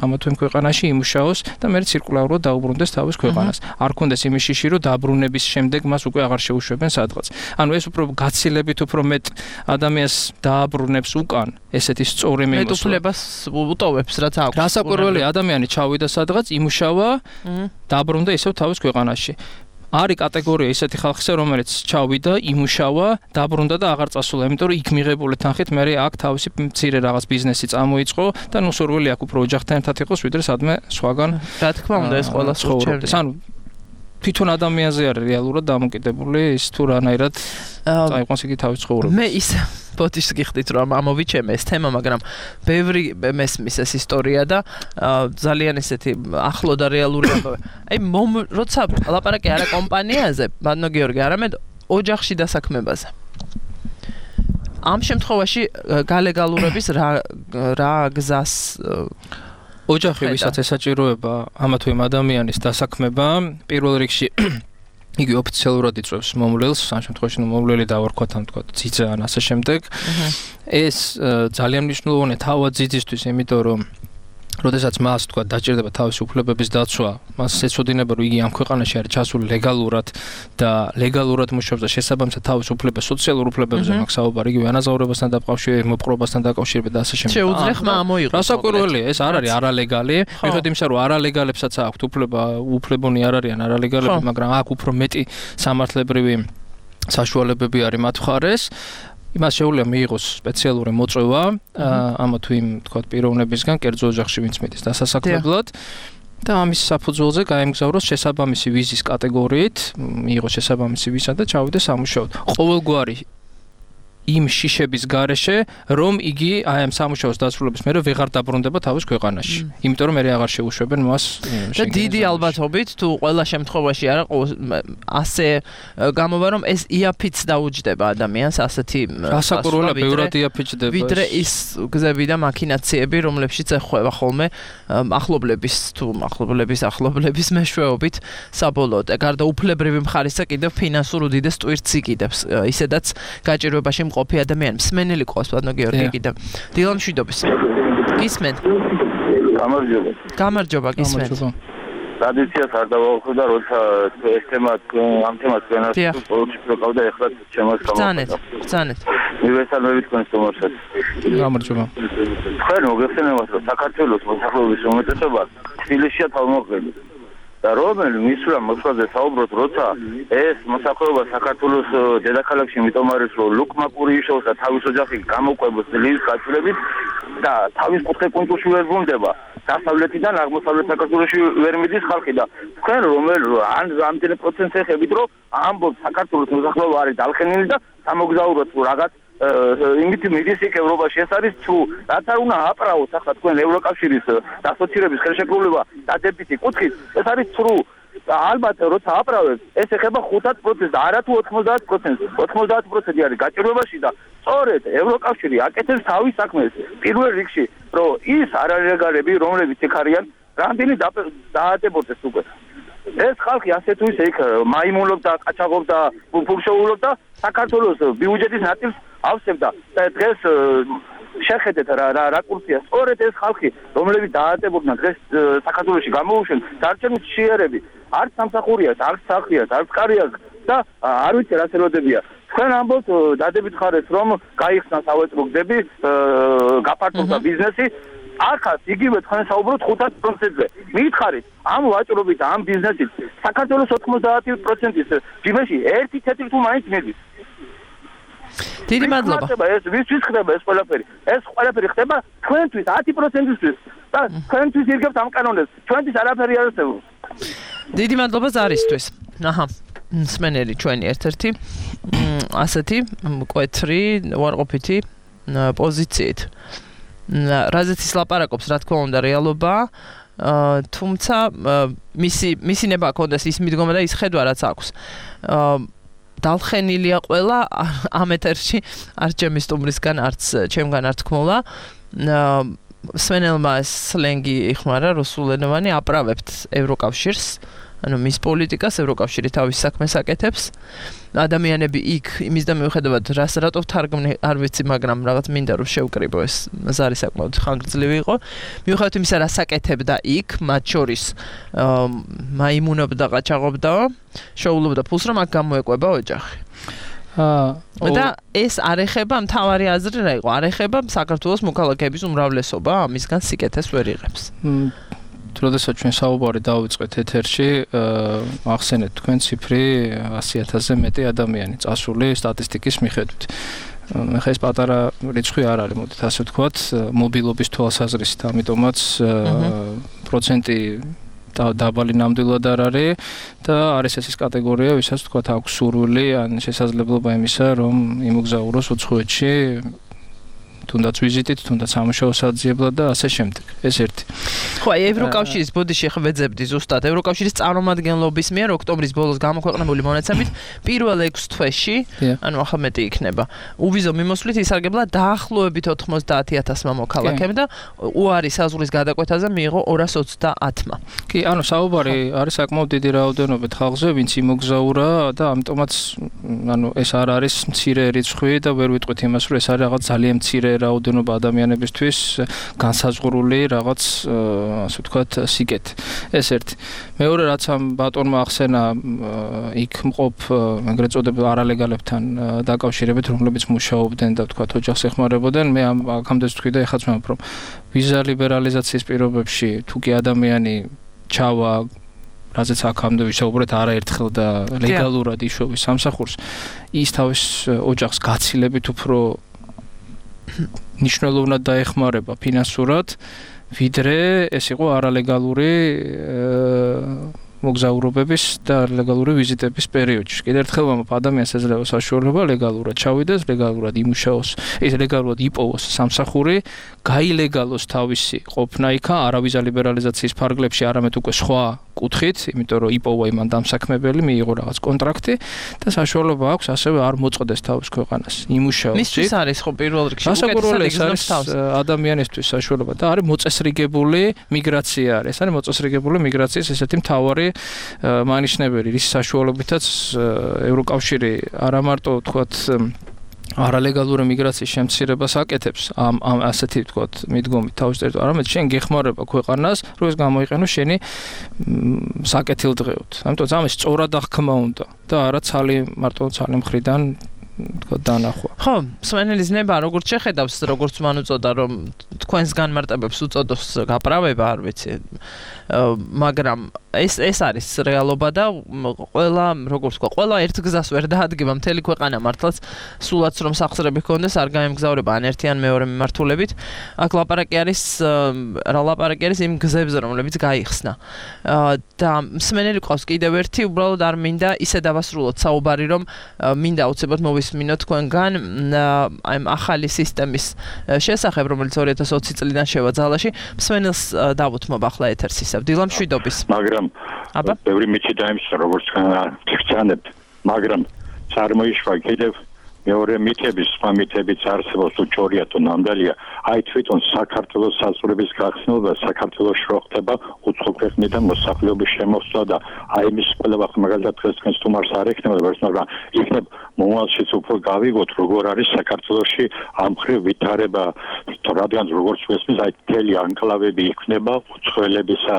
ამა თუ იმ ქვეყანაში, იმუშაოს და მე ცირკულარულად დაუბრუნდეს თავის ქვეყანას. არ კონდეს იმის შიში, რომ დაბრუნების შემდეგ მას უკვე აღარ შეუშვებენ სადღაც. ანუ ეს უფრო გაცილებით უფრო მეტ ადამიანს დააბრუნებს უკან, ესეთი სწორი მიმოსვლა. მეტ უფლებას უტოვებს, რაც აქვს. რასაკვირველი ადამიანი ჩავიდა სადღაც, იმუშავა, დაბრუნდა ისევ თავის ქვეყანაში. არის კატეგორია ისეთი ხალხისა, რომელიც ჩავიდა, იმუშავა, დაბრუნდა და აღარ წასულა, იმიტომ რომ იქ მიღებული თანხით მე აქ თავისი მცირე რაღაც ბიზნესი წამოიწყო და ნუ სურვილი აქვს უფრო ოჯახთან ერთად იყოს, ვიდრე სადმე სხვაგან. რა თქმა უნდა, ეს ყველა ცხოვრობს. ანუ თვითონ ადამიანზე არის რეალურად დამოკიდებული ის თუ რანაირად წაიყვანს იგი თავის ცხოვრებას. მე ის ბოდიშს გიხდით რომ ამოვიჩემე ეს თემა, მაგრამ ბევრი მესმის ეს ისტორია და ძალიან ისეთი ახლო და რეალური ამბავი. აი როცა ლაპარაკი არა კომპანიაზე, ბანო გიორგი, არამედ ოჯახში დასაქმებაზე. ამ შემთხვევაში გალეგალურების რა რა გზას ოჯახი ვისაც ესაჭიროება ამა თუ იმ ადამიანის დასაქმება, პირველ რიგში იგი ოფიციალურად იწვევს მომვლელს, ამ შემთხვევაში მომვლელი დავარქვათ ამ თქვა ძიძა ან ასე შემდეგ. ეს ძალიან მნიშვნელოვანია თავად ძიძისთვის, იმიტომ რომ როდესაც მას თქვა დაჭირდება თავისი უფლებების დაცვა, მას ეცოდინება რომ იგი ამ ქვეყანაში არის ჩასული ლეგალურად და ლეგალურად მუშაობს და შესაბამისად თავის უფლებებს, სოციალურ უფლებებზე მაქვს საუბარი, იგივე ანაზაურებასთან დაკავშირებით, მოპყრობასთან დაკავშირებით და ასე შემდეგ. შეუძლია ხმა ამოიღოს. რასაკვირველია, ეს არ არის არალეგალი, მიუხედავად იმისა, რომ არალეგალებსაც აქვთ უფლება, უფლებონი არ არიან არალეგალები, მაგრამ აქ უფრო მეტი სამართლებრივი საშუალებები არის მათ მხარეს. იმას შეუძლია მიიღოს სპეციალური მოწვევა ამა თუ იმ თქვა პიროვნებისგან, კერძო ოჯახში ვინც მიდის დასასაქმებლად და ამის საფუძველზე გაემგზავროს შესაბამისი ვიზის კატეგორიით, მიიღოს შესაბამისი ვიზა და ჩავიდეს სამუშაოდ. ყოველგვარი იმ შიშების გარეშე, რომ იგი აი ამ სამუშაოს დასრულების მერე ვეღარ დაბრუნდება თავის ქვეყანაში. იმიტომ რომ მე აღარ შეუშვებენ მას. და დიდი ალბათობით თუ ყველა შემთხვევაში არა ასე გამოვა რომ ეს იაფიც დაუჯდება ადამიანს ასეთი რასაკვირველია, ბევრად იაფიჭდება. ვიდრე ის გზები და მაქინაციები, რომლებშიც ეხება ხოლმე ახლობლების თუ ახლობლების ახლობლების მეშვეობით საბოლოოდ. გარდა უფლებრივი მხარისა კიდევ ფინანსურ უდიდეს ტვირთს იკიდებს. ისედაც გაჭირვებაში ყოფი ადამიანი მსმენელი ყავს ბანო გიორგი კიდევ დილა მშვიდობის გისმენთ გამარჯობა გამარჯობა გისმენთ ტრადიციას არ დავაუხდა როცა ეს თემა ამ თემას განას პროყავდა ეხლა ჩემს გამოვიდა ბრძანეთ მივესალმებით თქვენს თომორსაც გამარჯობა თქვენ მოგეხსენებათ რომ საქართველოს მოსახლეობის უმეტესობა თბილისშია თავმოყრილი და რომელი მისვლა მოსვლაზე საუბრობთ, როცა ეს მოსახლეობა საქართველოს დედაქალაქში იმიტომ არის, რომ ლუკმა კურიშოვს და თავის ოჯახი გამოყვებოს ლის გაწვრებით და თავის ხუთკუნთში ვერ ბრუნდება. დასავლეთიდან აღმოსავლეთ საქართველოში ვერ მიდის ხალხი და თქვენ რომელ ან რამდენი პროცენტს ეხებით, რომ ამბობთ საქართველოს მოსახლეობა არის დალხენილი და სამოგზაუროთ რაღაც იმით მიდის იქ ევროპაში ეს არის თუ რაც არ უნდა აპრაოს ახლა თქვენ ევროკავშირის ასოცირების ხელშეკრულება დადებითი კუთხით ეს არის ცრუ და ალბათ როცა აპრავებს ეს ეხება ხუთად პროცენტს და არა თუ ოთხმოცდაათ პროცენტს ოთხმოცდაათ პროცენტი არის გაჭირვებაში და სწორედ ევროკავშირი აკეთებს თავის საქმეს პირველ რიგში რომ ის არალეგალები რომლებიც იქ არიან რამდენი დაადებოდეს უკვე ეს ხალხი ასე თუ ისე იქ მაიმუნობდა, ყაჩაღობდა, ფურშოულობდა საქართველოს ბიუჯეტის ნაწილს ავსებდა და დღეს შეხედეთ რა რა რაკურსია სწორედ ეს ხალხი რომლებიც დაადებოდნენ დღეს საქართველოში გამოუშვენ დარჩენილ შიერები არც სამსახურია, არც სახლია, არც კარია და არ ვიცი რა სერვადებია. თქვენ ამბობთ დადებით ხარეს რომ გაიხსნა სავეწრო გზები, გაფართოვდა ბიზნესი. ახაც იგივე თქვენ საუბრობთ ხუთას პროცენტზე. მითხარით, ამ ვაჭრობით, ამ ბიზნესით საქართველოს ოთხმოცდაათი პროცენტის ჯიბეში ერთი ცენტი თუ მაინც მიდის. დიდი მადლობა. ეს ვისთვის ხდება ეს ყველაფერი? ეს ყველაფერი ხდება თქვენთვის ათი პროცენტისთვის და თქვენთვის ირგებთ ამ კანონებს. ჩვენთვის არაფერი არ არსებობს. დიდი მადლობა ზარისთვის. აჰა. მსმენელი ჩვენი ერთ-ერთი ასეთი მკვეთრი უარყოფითი პოზიციით. რაზეც ის ლაპარაკობს, რა თქმა უნდა, რეალობა, თუმცა მისი მისი ნება ჰქონდეს ის მიდგომა და ის ხედვა რაც აქვს. დალხენილია ყველა ამ ეთერში, არც ჩემი სტუმრისგან, არც ჩემგან არ თქმულა. სვენელმა სლენგი იხმარა რუსულენოვანი, აправებთ ევროკავშირს. ანუ მის პოლიტიკას ევროკავშირი თავის საქმეს აკეთებს. ადამიანები იქ იმის და მიუხედავად რას რატო თარგმნი არ ვიცი, მაგრამ რაღაც მინდა რომ შევკრიბო ეს ზარი საკმაოდ ხანგრძლივი იყო. მიუხედავად იმისა, რას აკეთებდა იქ, მათ შორის მაიმუნობდა, ყაჩაღობდა, შოულობდა ფულს, რომ აქ გამოეკვება ოჯახი. აა და ეს არ ეხება მთავარი აზრი რა იყო? არ ეხება საქართველოს მოქალაქეების უმრავლესობა, ამისგან სიკეთეს ვერ იღებს. როდესაც ჩვენ საუბარი დავიწყეთ ეთერში, ახსენეთ თქვენ ციფრი ასი ათასზე მეტი ადამიანი წასული სტატისტიკის მიხედვით. ხა ეს პატარა რიცხვი არ არის, მოდით ასე ვთქვათ, მობილობის თვალსაზრისით, ამიტომაც პროცენტი დაბალი ნამდვილად არ არის და არის ეს ის კატეგორია, ვისაც ვთქვათ აქვს სურვილი ან შესაძლებლობა იმისა, რომ იმოგზაუროს უცხოეთში თუნდაც ვიზიტით, თუნდაც სამუშაო საძიებლად და ასე შემდეგ. ეს ერთი. ხო, ევროკავშირის ბოდიში ხვეძებდი ზუსტად. ევროკავშირის წარმომადგენლობის მიერ ოქტომბრის ბოლოს გამოქვეყნებული მონაცემით პირველ ექვს თვეში, ანუ ახლა მეტი იქნება. უვიზო მიმოსვლით ისარგებლა დაახლოებით ოთხმოცდაათი ათასმა მოქალაქემ და უარი საზღვრის გადაკვეთაზე მიიღო ორას ოცდაათმა. კი, ანუ საუბარი არის საკმაოდ დიდი რაოდენობით ხალხზე, ვინც იმოგზაურა და ამიტომაც ანუ ეს არ არის მცირე რიცხვი და ვერ ვიტყვით იმას, რომ ეს არის რაღაც ძალიან მცირე რაოდენობა ადამიანებისთვის განსაზღვრული რაღაც ასე ვთქვათ სიკეთე. ეს ერთი. მეორე რაც ამ ბატონმა ახსენა იქ მყოფ ეგრეთ წოდებულ არალეგალებთან დაკავშირებით, რომლებიც მუშაობდნენ და ვთქვათ ოჯახს ეხმარებოდნენ, მე ამ აქამდე ვთქვი და ეხაც ვამბობ, რომ ვიზა ლიბერალიზაციის პირობებში თუ კი ადამიანი ჩავა რაზეც აქამდე ვისაუბრეთ არაერთხელ და ლეგალურად იშოვის სამსახურს, ის თავის ოჯახს გაცილებით უფრო ნიშნულოვნად დაეხმარება ფინანსურად, ვიდრე ეს იყო არალეგალური მოგზაურობების და არალეგალური ვიზიტების პერიოდში. კიდევ ერთხელ ვამბობ, ადამიანს ეძლევა საშუალება ლეგალურად ჩავიდეს, ლეგალურად იმუშაოს, ეს ლეგალურად იპოვოს სამსახური, გაილეგალოს თავისი ყოფნა იქა არავიზა ლიბერალიზაციის ფარგლებში, არამედ უკვე სხვა კუთხით, იმიტომ რომ იპოვა იმან დამსაქმებელი, მიიღო რაღაც კონტრაქტი და საშუალება აქვს ასევე არ მოწყდეს თავის ქვეყანას. იმუშაოს. მისთვის არის ხო პირველ რიგში უკეთესად იგრძნობს თავს ადამიანისთვის საშუალება და არის მოწესრიგებული მიგრაცია არის. არის მოწესრიგებული მიგრაციის ესეთი მთავარი მანიშნებელი, რის საშუალებითაც ევროკავშირი არა მარტო ვთქვათ არალეგალური მიგრაციის შემცირებას აკეთებს ამ ამ ასეთი ვთქვათ მიდგომით თავის ტერიტორიაზე, არამედ შენ გეხმარება ქვეყანას, რომ ეს გამოიყენო შენი საკეთილდღეოდ. ამიტომ ამის სწორად აღქმა უნდა და არა ცალი მარტო ცალი მხრიდან ვთქვათ დანახვა. ხო, სვენელის ნება როგორც შეხედავს, როგორც მან უწოდა, რომ თქვენს განმარტებებს უწოდოს გაправება, არ ვიცი. მაგრამ ეს ეს არის რეალობა და ყველა, როგორც ვთქვა, ყველა ერთ გზას ვერ დაადგება მთელი ქვეყანა მართლაც, სულაც რომ სახსრები ჰქონდეს, არ გაემგზავრება ან ერთი ან მეორე მიმართულებით. აქ ლაპარაკი არის, რა ლაპარაკი არის იმ გზებზე, რომლებიც გაიხსნა. და მსმენელი ყავს კიდევ ერთი, უბრალოდ არ მინდა ისე დავასრულოთ საუბარი, რომ მინდა აუცილებლად მოვისმინოთ თქვენგან აი ახალი სისტემის შესახებ, რომელიც ორი ათას ოცი წლიდან შევა ძალაში. მსმენელს დავუთმობ ახლა ეთერს ისევ. დილამ შვიდობის. მაგრამ აბა ბევრი მიჩი დაიმსა როგორც თქვენ გწანებთ, მაგრამ წარმოიშვა კიდევ მეორე მითების, სხვა მითებიც არსებობს თუ ჯორია თუ ნამდვილია, აი თვითონ საქართველოს საზღვრების გახსნილობა, საქართველოს რო ხდება უცხო ქვეყნიდან მოსახლეობის შემოსვლა და აი მის ყველა მაგალითად დღეს თქვენს თუმარს არ ექნება, მაგრამ იქნებ მომავალშიც უფრო გავიგოთ, როგორ არის საქართველოში ამ ხრივ ვითარება, რადგან როგორც ვესმის, აი მთელი ანკლავები იქნება უცხოელებისა,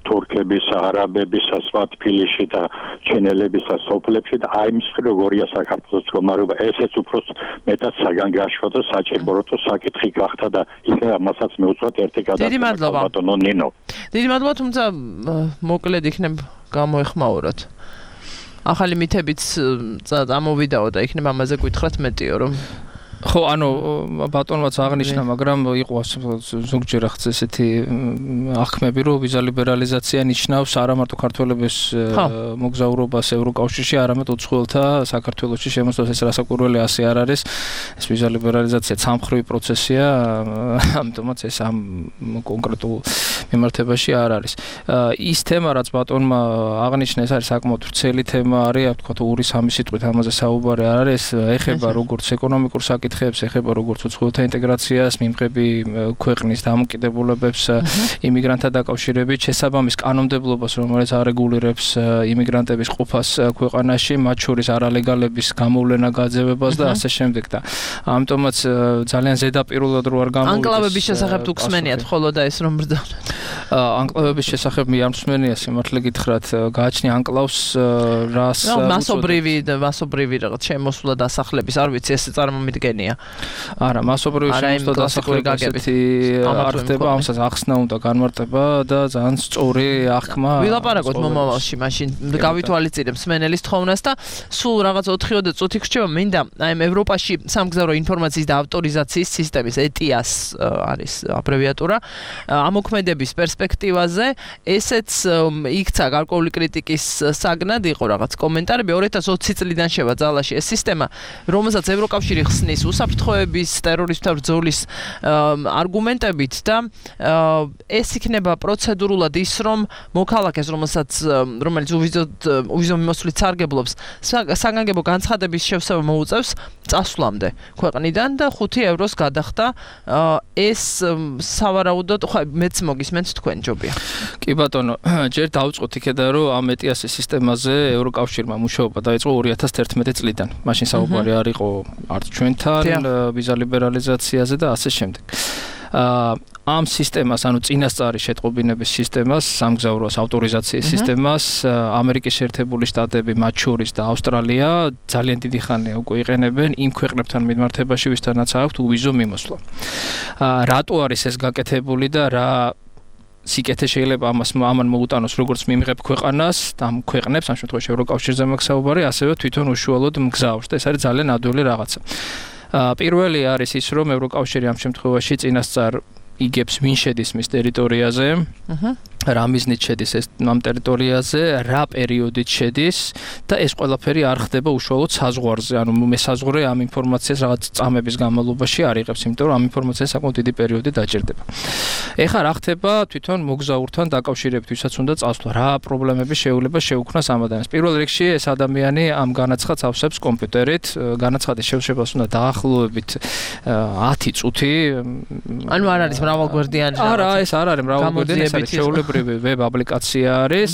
თურქებისა, არაბებისა, სხვა თბილისში და ჩინელებისა სოფლებში და აი მის ხრივ როგორია საქართველოს მდგომარეობა, ესეც უფრო მეტად საგანგაშო და საჭირო როთო საკითხი გახდა და იქნება მასაც მეუწვათ ერთი გადაწყვეტა ბატონო ნინო. დიდი მადლობა, თუმცა მოკლედ იქნებ გამოეხმაუროთ. ახალი მითებიც წამოვიდაო და იქნება ამაზე გითხრათ მეტიო რომ ხო, ანუ ბატონმაც აღნიშნა, მაგრამ იყო ზოგჯერ ახაც ესეთი აღქმები, რომ ვიზა ლიბერალიზაცია ნიშნავს არა მარტო ქართველების მოგზაურობას ევროკავშირში, არამედ უცხოელთა საქართველოში შემოსვლას. ეს რასაკვირველი ასე არ არის. ეს ვიზა ლიბერალიზაცია ცალმხრივი პროცესია, ამიტომაც ეს ამ კონკრეტულ მიმართებაში არ არის. ის თემა, რაც ბატონმა აღნიშნა, ეს არის საკმაოდ ვრცელი თემა არის, თქვა თუ ორი სამი სიტყვით ამაზე საუბარი არ არის, ეხება როგორც ეკონომიკურ საკითხებს, ეხება როგორც უცხოელთა ინტეგრაციას, მიმღები ქვეყნის დამოკიდებულებებს, იმიგრანტთა დაკავშირებით, შესაბამის კანონმდებლობას, რომელიც არეგულირებს იმიგრანტების ყოფას ქვეყანაში, მათ შორის არალეგალების გამოვლენა, გაძევებას და ასე შემდეგ და ამიტომაც ძალიან ზედაპირულად რო არ გამოვიდეს. ანკლავების შესახებ თუ გსმენიათ ხოლო და ეს რომ ბრძანოთ. ანკლავების შესახებ მე არ მსმენია, სიმართლე გითხრათ, გააჩნია ანკლავს რას მასობრივი და მასობრივი რაღაც შემოსვლა დასახლების, არ ვიცი, ეს წარმომიდგენია. არა, მასობრივი შემოსვლა დასახლების არ ხდება, ამასაც ახსნა უნდა განმარტება და ძალიან სწორი აღქმა. ვილაპარაკოთ მომავალში, მაშინ გავითვალისწინებ მსმენელის თხოვნას და სულ რაღაც ოთხი წუთი გრჩება, მინდა აი ევროპაში სამგზავრო ინფორმაციის და ავტორიზაციის სისტემის E T I A S არის აბრევიატურა, ამოქმედების პერსპექტივაზე, ესეც იქცა გარკვეული კრიტიკის საგნად, იყო რაღაც კომენტარები, ორი ათას ოცი წლიდან შევა ძალაში ეს სისტემა, რომელსაც ევროკავშირი ხსნის უსაფრთხოების, ტერორიზმთან ბრძოლის არგუმენტებით და ეს იქნება პროცედურულად ის, რომ მოქალაქეს, რომელსაც რომელიც უვიზო მიმოსვლით სარგებლობს, საგანგებო განცხადების შევსება მოუწევს წასვლამდე ქვეყნიდან და ხუთი ევროს გადახდა. ეს სავარაუდოდ მეც მოგისმენთ თქვენ ჯობია. კი ბატონო, ჯერ დავწყოთ იქედან რომ ამ E T I A S სისტემაზე ევროკავშირმა მუშაობა დაიწყო ორი ათას ერთმეტი წლიდან. მაშინ საუბარი არ იყო არც ჩვენთან ვიზა ლიბერალიზაციაზე და ასე შემდეგ. ამ სისტემას, ანუ წინასწარი შეტყობინების სისტემას, სამგზავროს ავტორიზაციის სისტემას, ამერიკის შეერთებული შტატები, მათ შორის და ავსტრალია ძალიან დიდი ხანია უკვე იყენებენ იმ ქვეყნებთან მიმართებაში, ვისთანაც აქვთ უვიზო მიმოსვლა. რატო არის ეს გაკეთებული და რა სიკეთე შეიძლება ამას ამან მოუტანოს როგორც მიმღებ ქვეყანას და ამ ქვეყნებს, ამ შემთხვევაში ევროკავშირზე მაქვს საუბარი, ასევე თვითონ უშუალოდ მგზავრს და ეს არის ძალიან ადვილი რაღაცა. პირველი არის ის, რომ ევროკავშირი ამ შემთხვევაში წინასწარ იგებს ვინ შედის მის ტერიტორიაზე, რა მიზნით შედის ეს ამ ტერიტორიაზე, რა პერიოდით შედის და ეს ყველაფერი არ ხდება უშუალოდ საზღვარზე, ანუ მე საზღვარი ამ ინფორმაციას რაღაც წამების განმავლობაში არ იღებს, იმიტომ რომ ამ ინფორმაციას საკმაოდ დიდი პერიოდი დაჭირდება. ეხლა რა ხდება თვითონ მოგზაურთან დაკავშირებით, ვისაც უნდა წასვლა, რა პრობლემები შეუძლება შეუქმნას ამ ადამიანს. პირველ რიგში ეს ადამიანი ამ განაცხადს ავსებს კომპიუტერით, განაცხადის შევსებას უნდა დაახლოებით ათი წუთი. ანუ არ არის მრავალგვერდიანი რაღაცა. არა, ეს არ არის მრავალგვერდიანი, ეს არის შეულებრივი ვებ აპლიკაცია არის,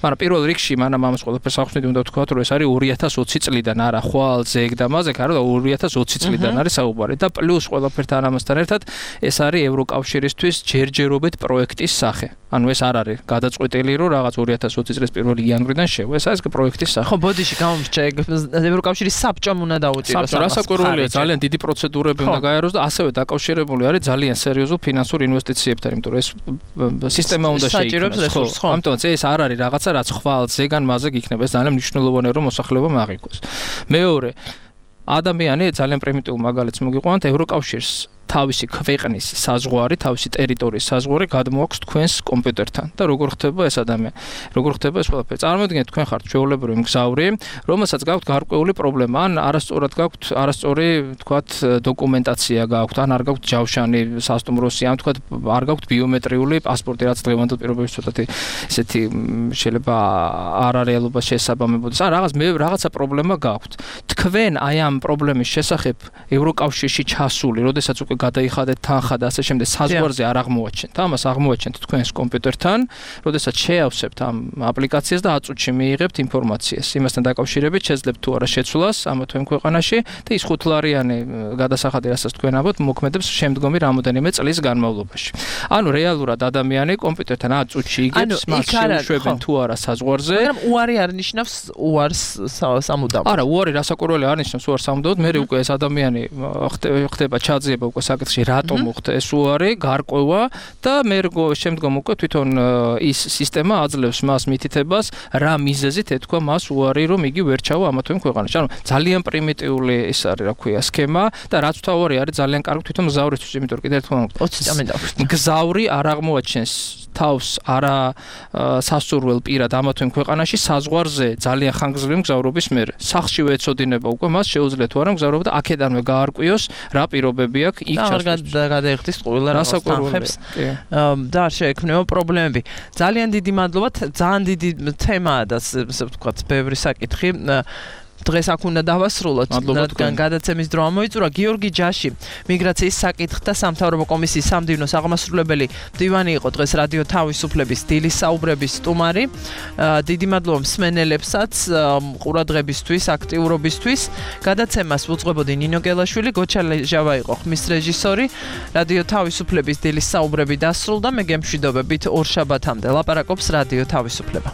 მაგრამ პირველ რიგში მანამ ამას ყველაფერს ახსნით უნდა ვთქვა, რომ ეს არის ორი ათას ოცი წლიდან, არა ხვალ ზეგ და მაზეგ, არა ორი ათას ოცი წლიდან არის საუბარი და პლუს ყველაფერთან ამასთან ერთად ეს არის ევროკავშირისთვის ჯერჯერობით პროექტის სახე. ანუ ეს არ არის გადაწყვეტილი, რომ რაღაც ორი ათას ოცი წლის პირველი იანვრიდან შევა, ეს არის პროექტის სახე. ხო, ბოდიში გამომრჩა, ევროკავშირის საბჭომ უნდა დაუჭიროს. საბჭო რასაკვირველია, ძალიან დიდი პროცედურები უნდა გაიაროს და ასევე დაკავშირებული არის ძალიან სერიოზულ ფინანსურ ინვესტიციებთან, იმიტომ რომ ეს სისტემა უნდა საჭიროებს რესურსს, ხო? ამიტომ ეს არ არის რაღაცა, რაც ხვალ ზეგან მაზეგ იქნება, ეს ძალიან მნიშვნელოვანია, რომ მოსახლეობა მაღიქოს. მეორე, ადამიანი ძალიან პრიმიტიულ მაგალითს მოგიყვანთ, ევროკავშირს თავისი ქვეყნის საზღვარი, თავისი ტერიტორიის საზღვარი გადმოაქვს თქვენს კომპიუტერთან და როგორ ხდება ეს ადამიანი? როგორ ხდება ეს ყველაფერი? წარმოიდგინეთ, თქვენ ხართ ჩვეულებრივი მგზავრი, რომელსაც გაქვთ გარკვეული პრობლემა, ან არასწორად გაქვთ, არასწორი, თქვათ, დოკუმენტაცია გაქვთ, ან არ გაქვთ ჯავშანი სასტუმროსი, ან თქვათ, არ გაქვთ ბიომეტრიული პასპორტი, რაც დღევანდელ პირობებში ცოტათი ესეთი შეიძლება არარეალობას შესაბამებოდეს. ან რაღაც მე რაღაცა პრობლემა გაქვთ. თქვენ აი ამ პრობლემის შესახებ ევროკავშირში ჩასული, როდესაც უკვე გადაიხადეთ თანხა და ასე შემდეგ საზღვარზე არ აღმოაჩენთ. ამას აღმოაჩენთ თქვენს კომპიუტერთან, როდესაც შეავსებთ ამ აპლიკაციას და ათ წუთში მიიღებთ ინფორმაციას. იმასთან დაკავშირებით შეძლებთ თუ არა შეცვლას ამა თუ იმ ქვეყანაში და ის ხუთლარიანი გადასახადი, რასაც თქვენ ამბობთ, მოქმედებს შემდგომი რამოდენიმე წლის განმავლობაში. ანუ რეალურად ადამიანი კომპიუტერთან ათ წუთში იგებს, მას შეუშვებენ თუ არა საზღვარზე. მაგრამ უარი არ ნიშნავს უარს სამუდამოდ. არა, უარი რასაკვირველი არ ნიშნავს უარს სამუდამოდ. მე უკვე ეს ადამიანი ხდება ჩაძიება უკვე საკითხში, რატომ მოხდა ეს უარი, გარკვევა და მე შემდგომ უკვე თვითონ ის სისტემა აძლევს მას მითითებას, რა მიზეზით ეთქვა მას უარი, რომ იგი ვერ ჩავა ამა თუ იმ ქვეყანაში. ანუ ძალიან პრიმიტიული ის არის, რა ქვია, სქემა და რაც თავარი არის ძალიან კარგი თვითონ მგზავრისთვის, იმიტომ რომ კიდევ ერთხელ ოცი წამი დავხსნა. მგზავრი არ აღმოაჩენს თავს არა სასურველ პირად ამა თუ იმ ქვეყანაში საზღვარზე ძალიან ხანგრძლივი მგზავრობის მერე. სახლში ეცოდინება უკვე მას შეუძლია თუ არა მგზავრობა და აქედანვე გაარკვიოს რა პირობები აქვს იქ ჩასვლის. და გადაიხდის ყველა რას თანხებს და არ შეექმნება პრობლემები. ძალიან დიდი მადლობა, ძალიან დიდი თემაა და ასე ვთქვათ, ბევრი საკითხი. დღეს აქ უნდა დავასრულოთ, რადგან გადაცემის დრო ამოიწურა. გიორგი ჯაში, მიგრაციის საკითხთა სამთავრობო კომისიის სამდივნოს აღმასრულებელი მდივანი იყო დღეს რადიო თავისუფლების დილის საუბრების სტუმარი. დიდი მადლობა მსმენელებსაც ყურადღებისთვის, აქტიურობისთვის. გადაცემას უძღვებოდი ნინო გელაშვილი, გოჩა ლეჟავა იყო ხმის რეჟისორი. რადიო თავისუფლების დილის საუბრები დასრულდა. მე გემშვიდობებით ორ შაბათამდე ლაპარაკობს რადიო თავისუფლება.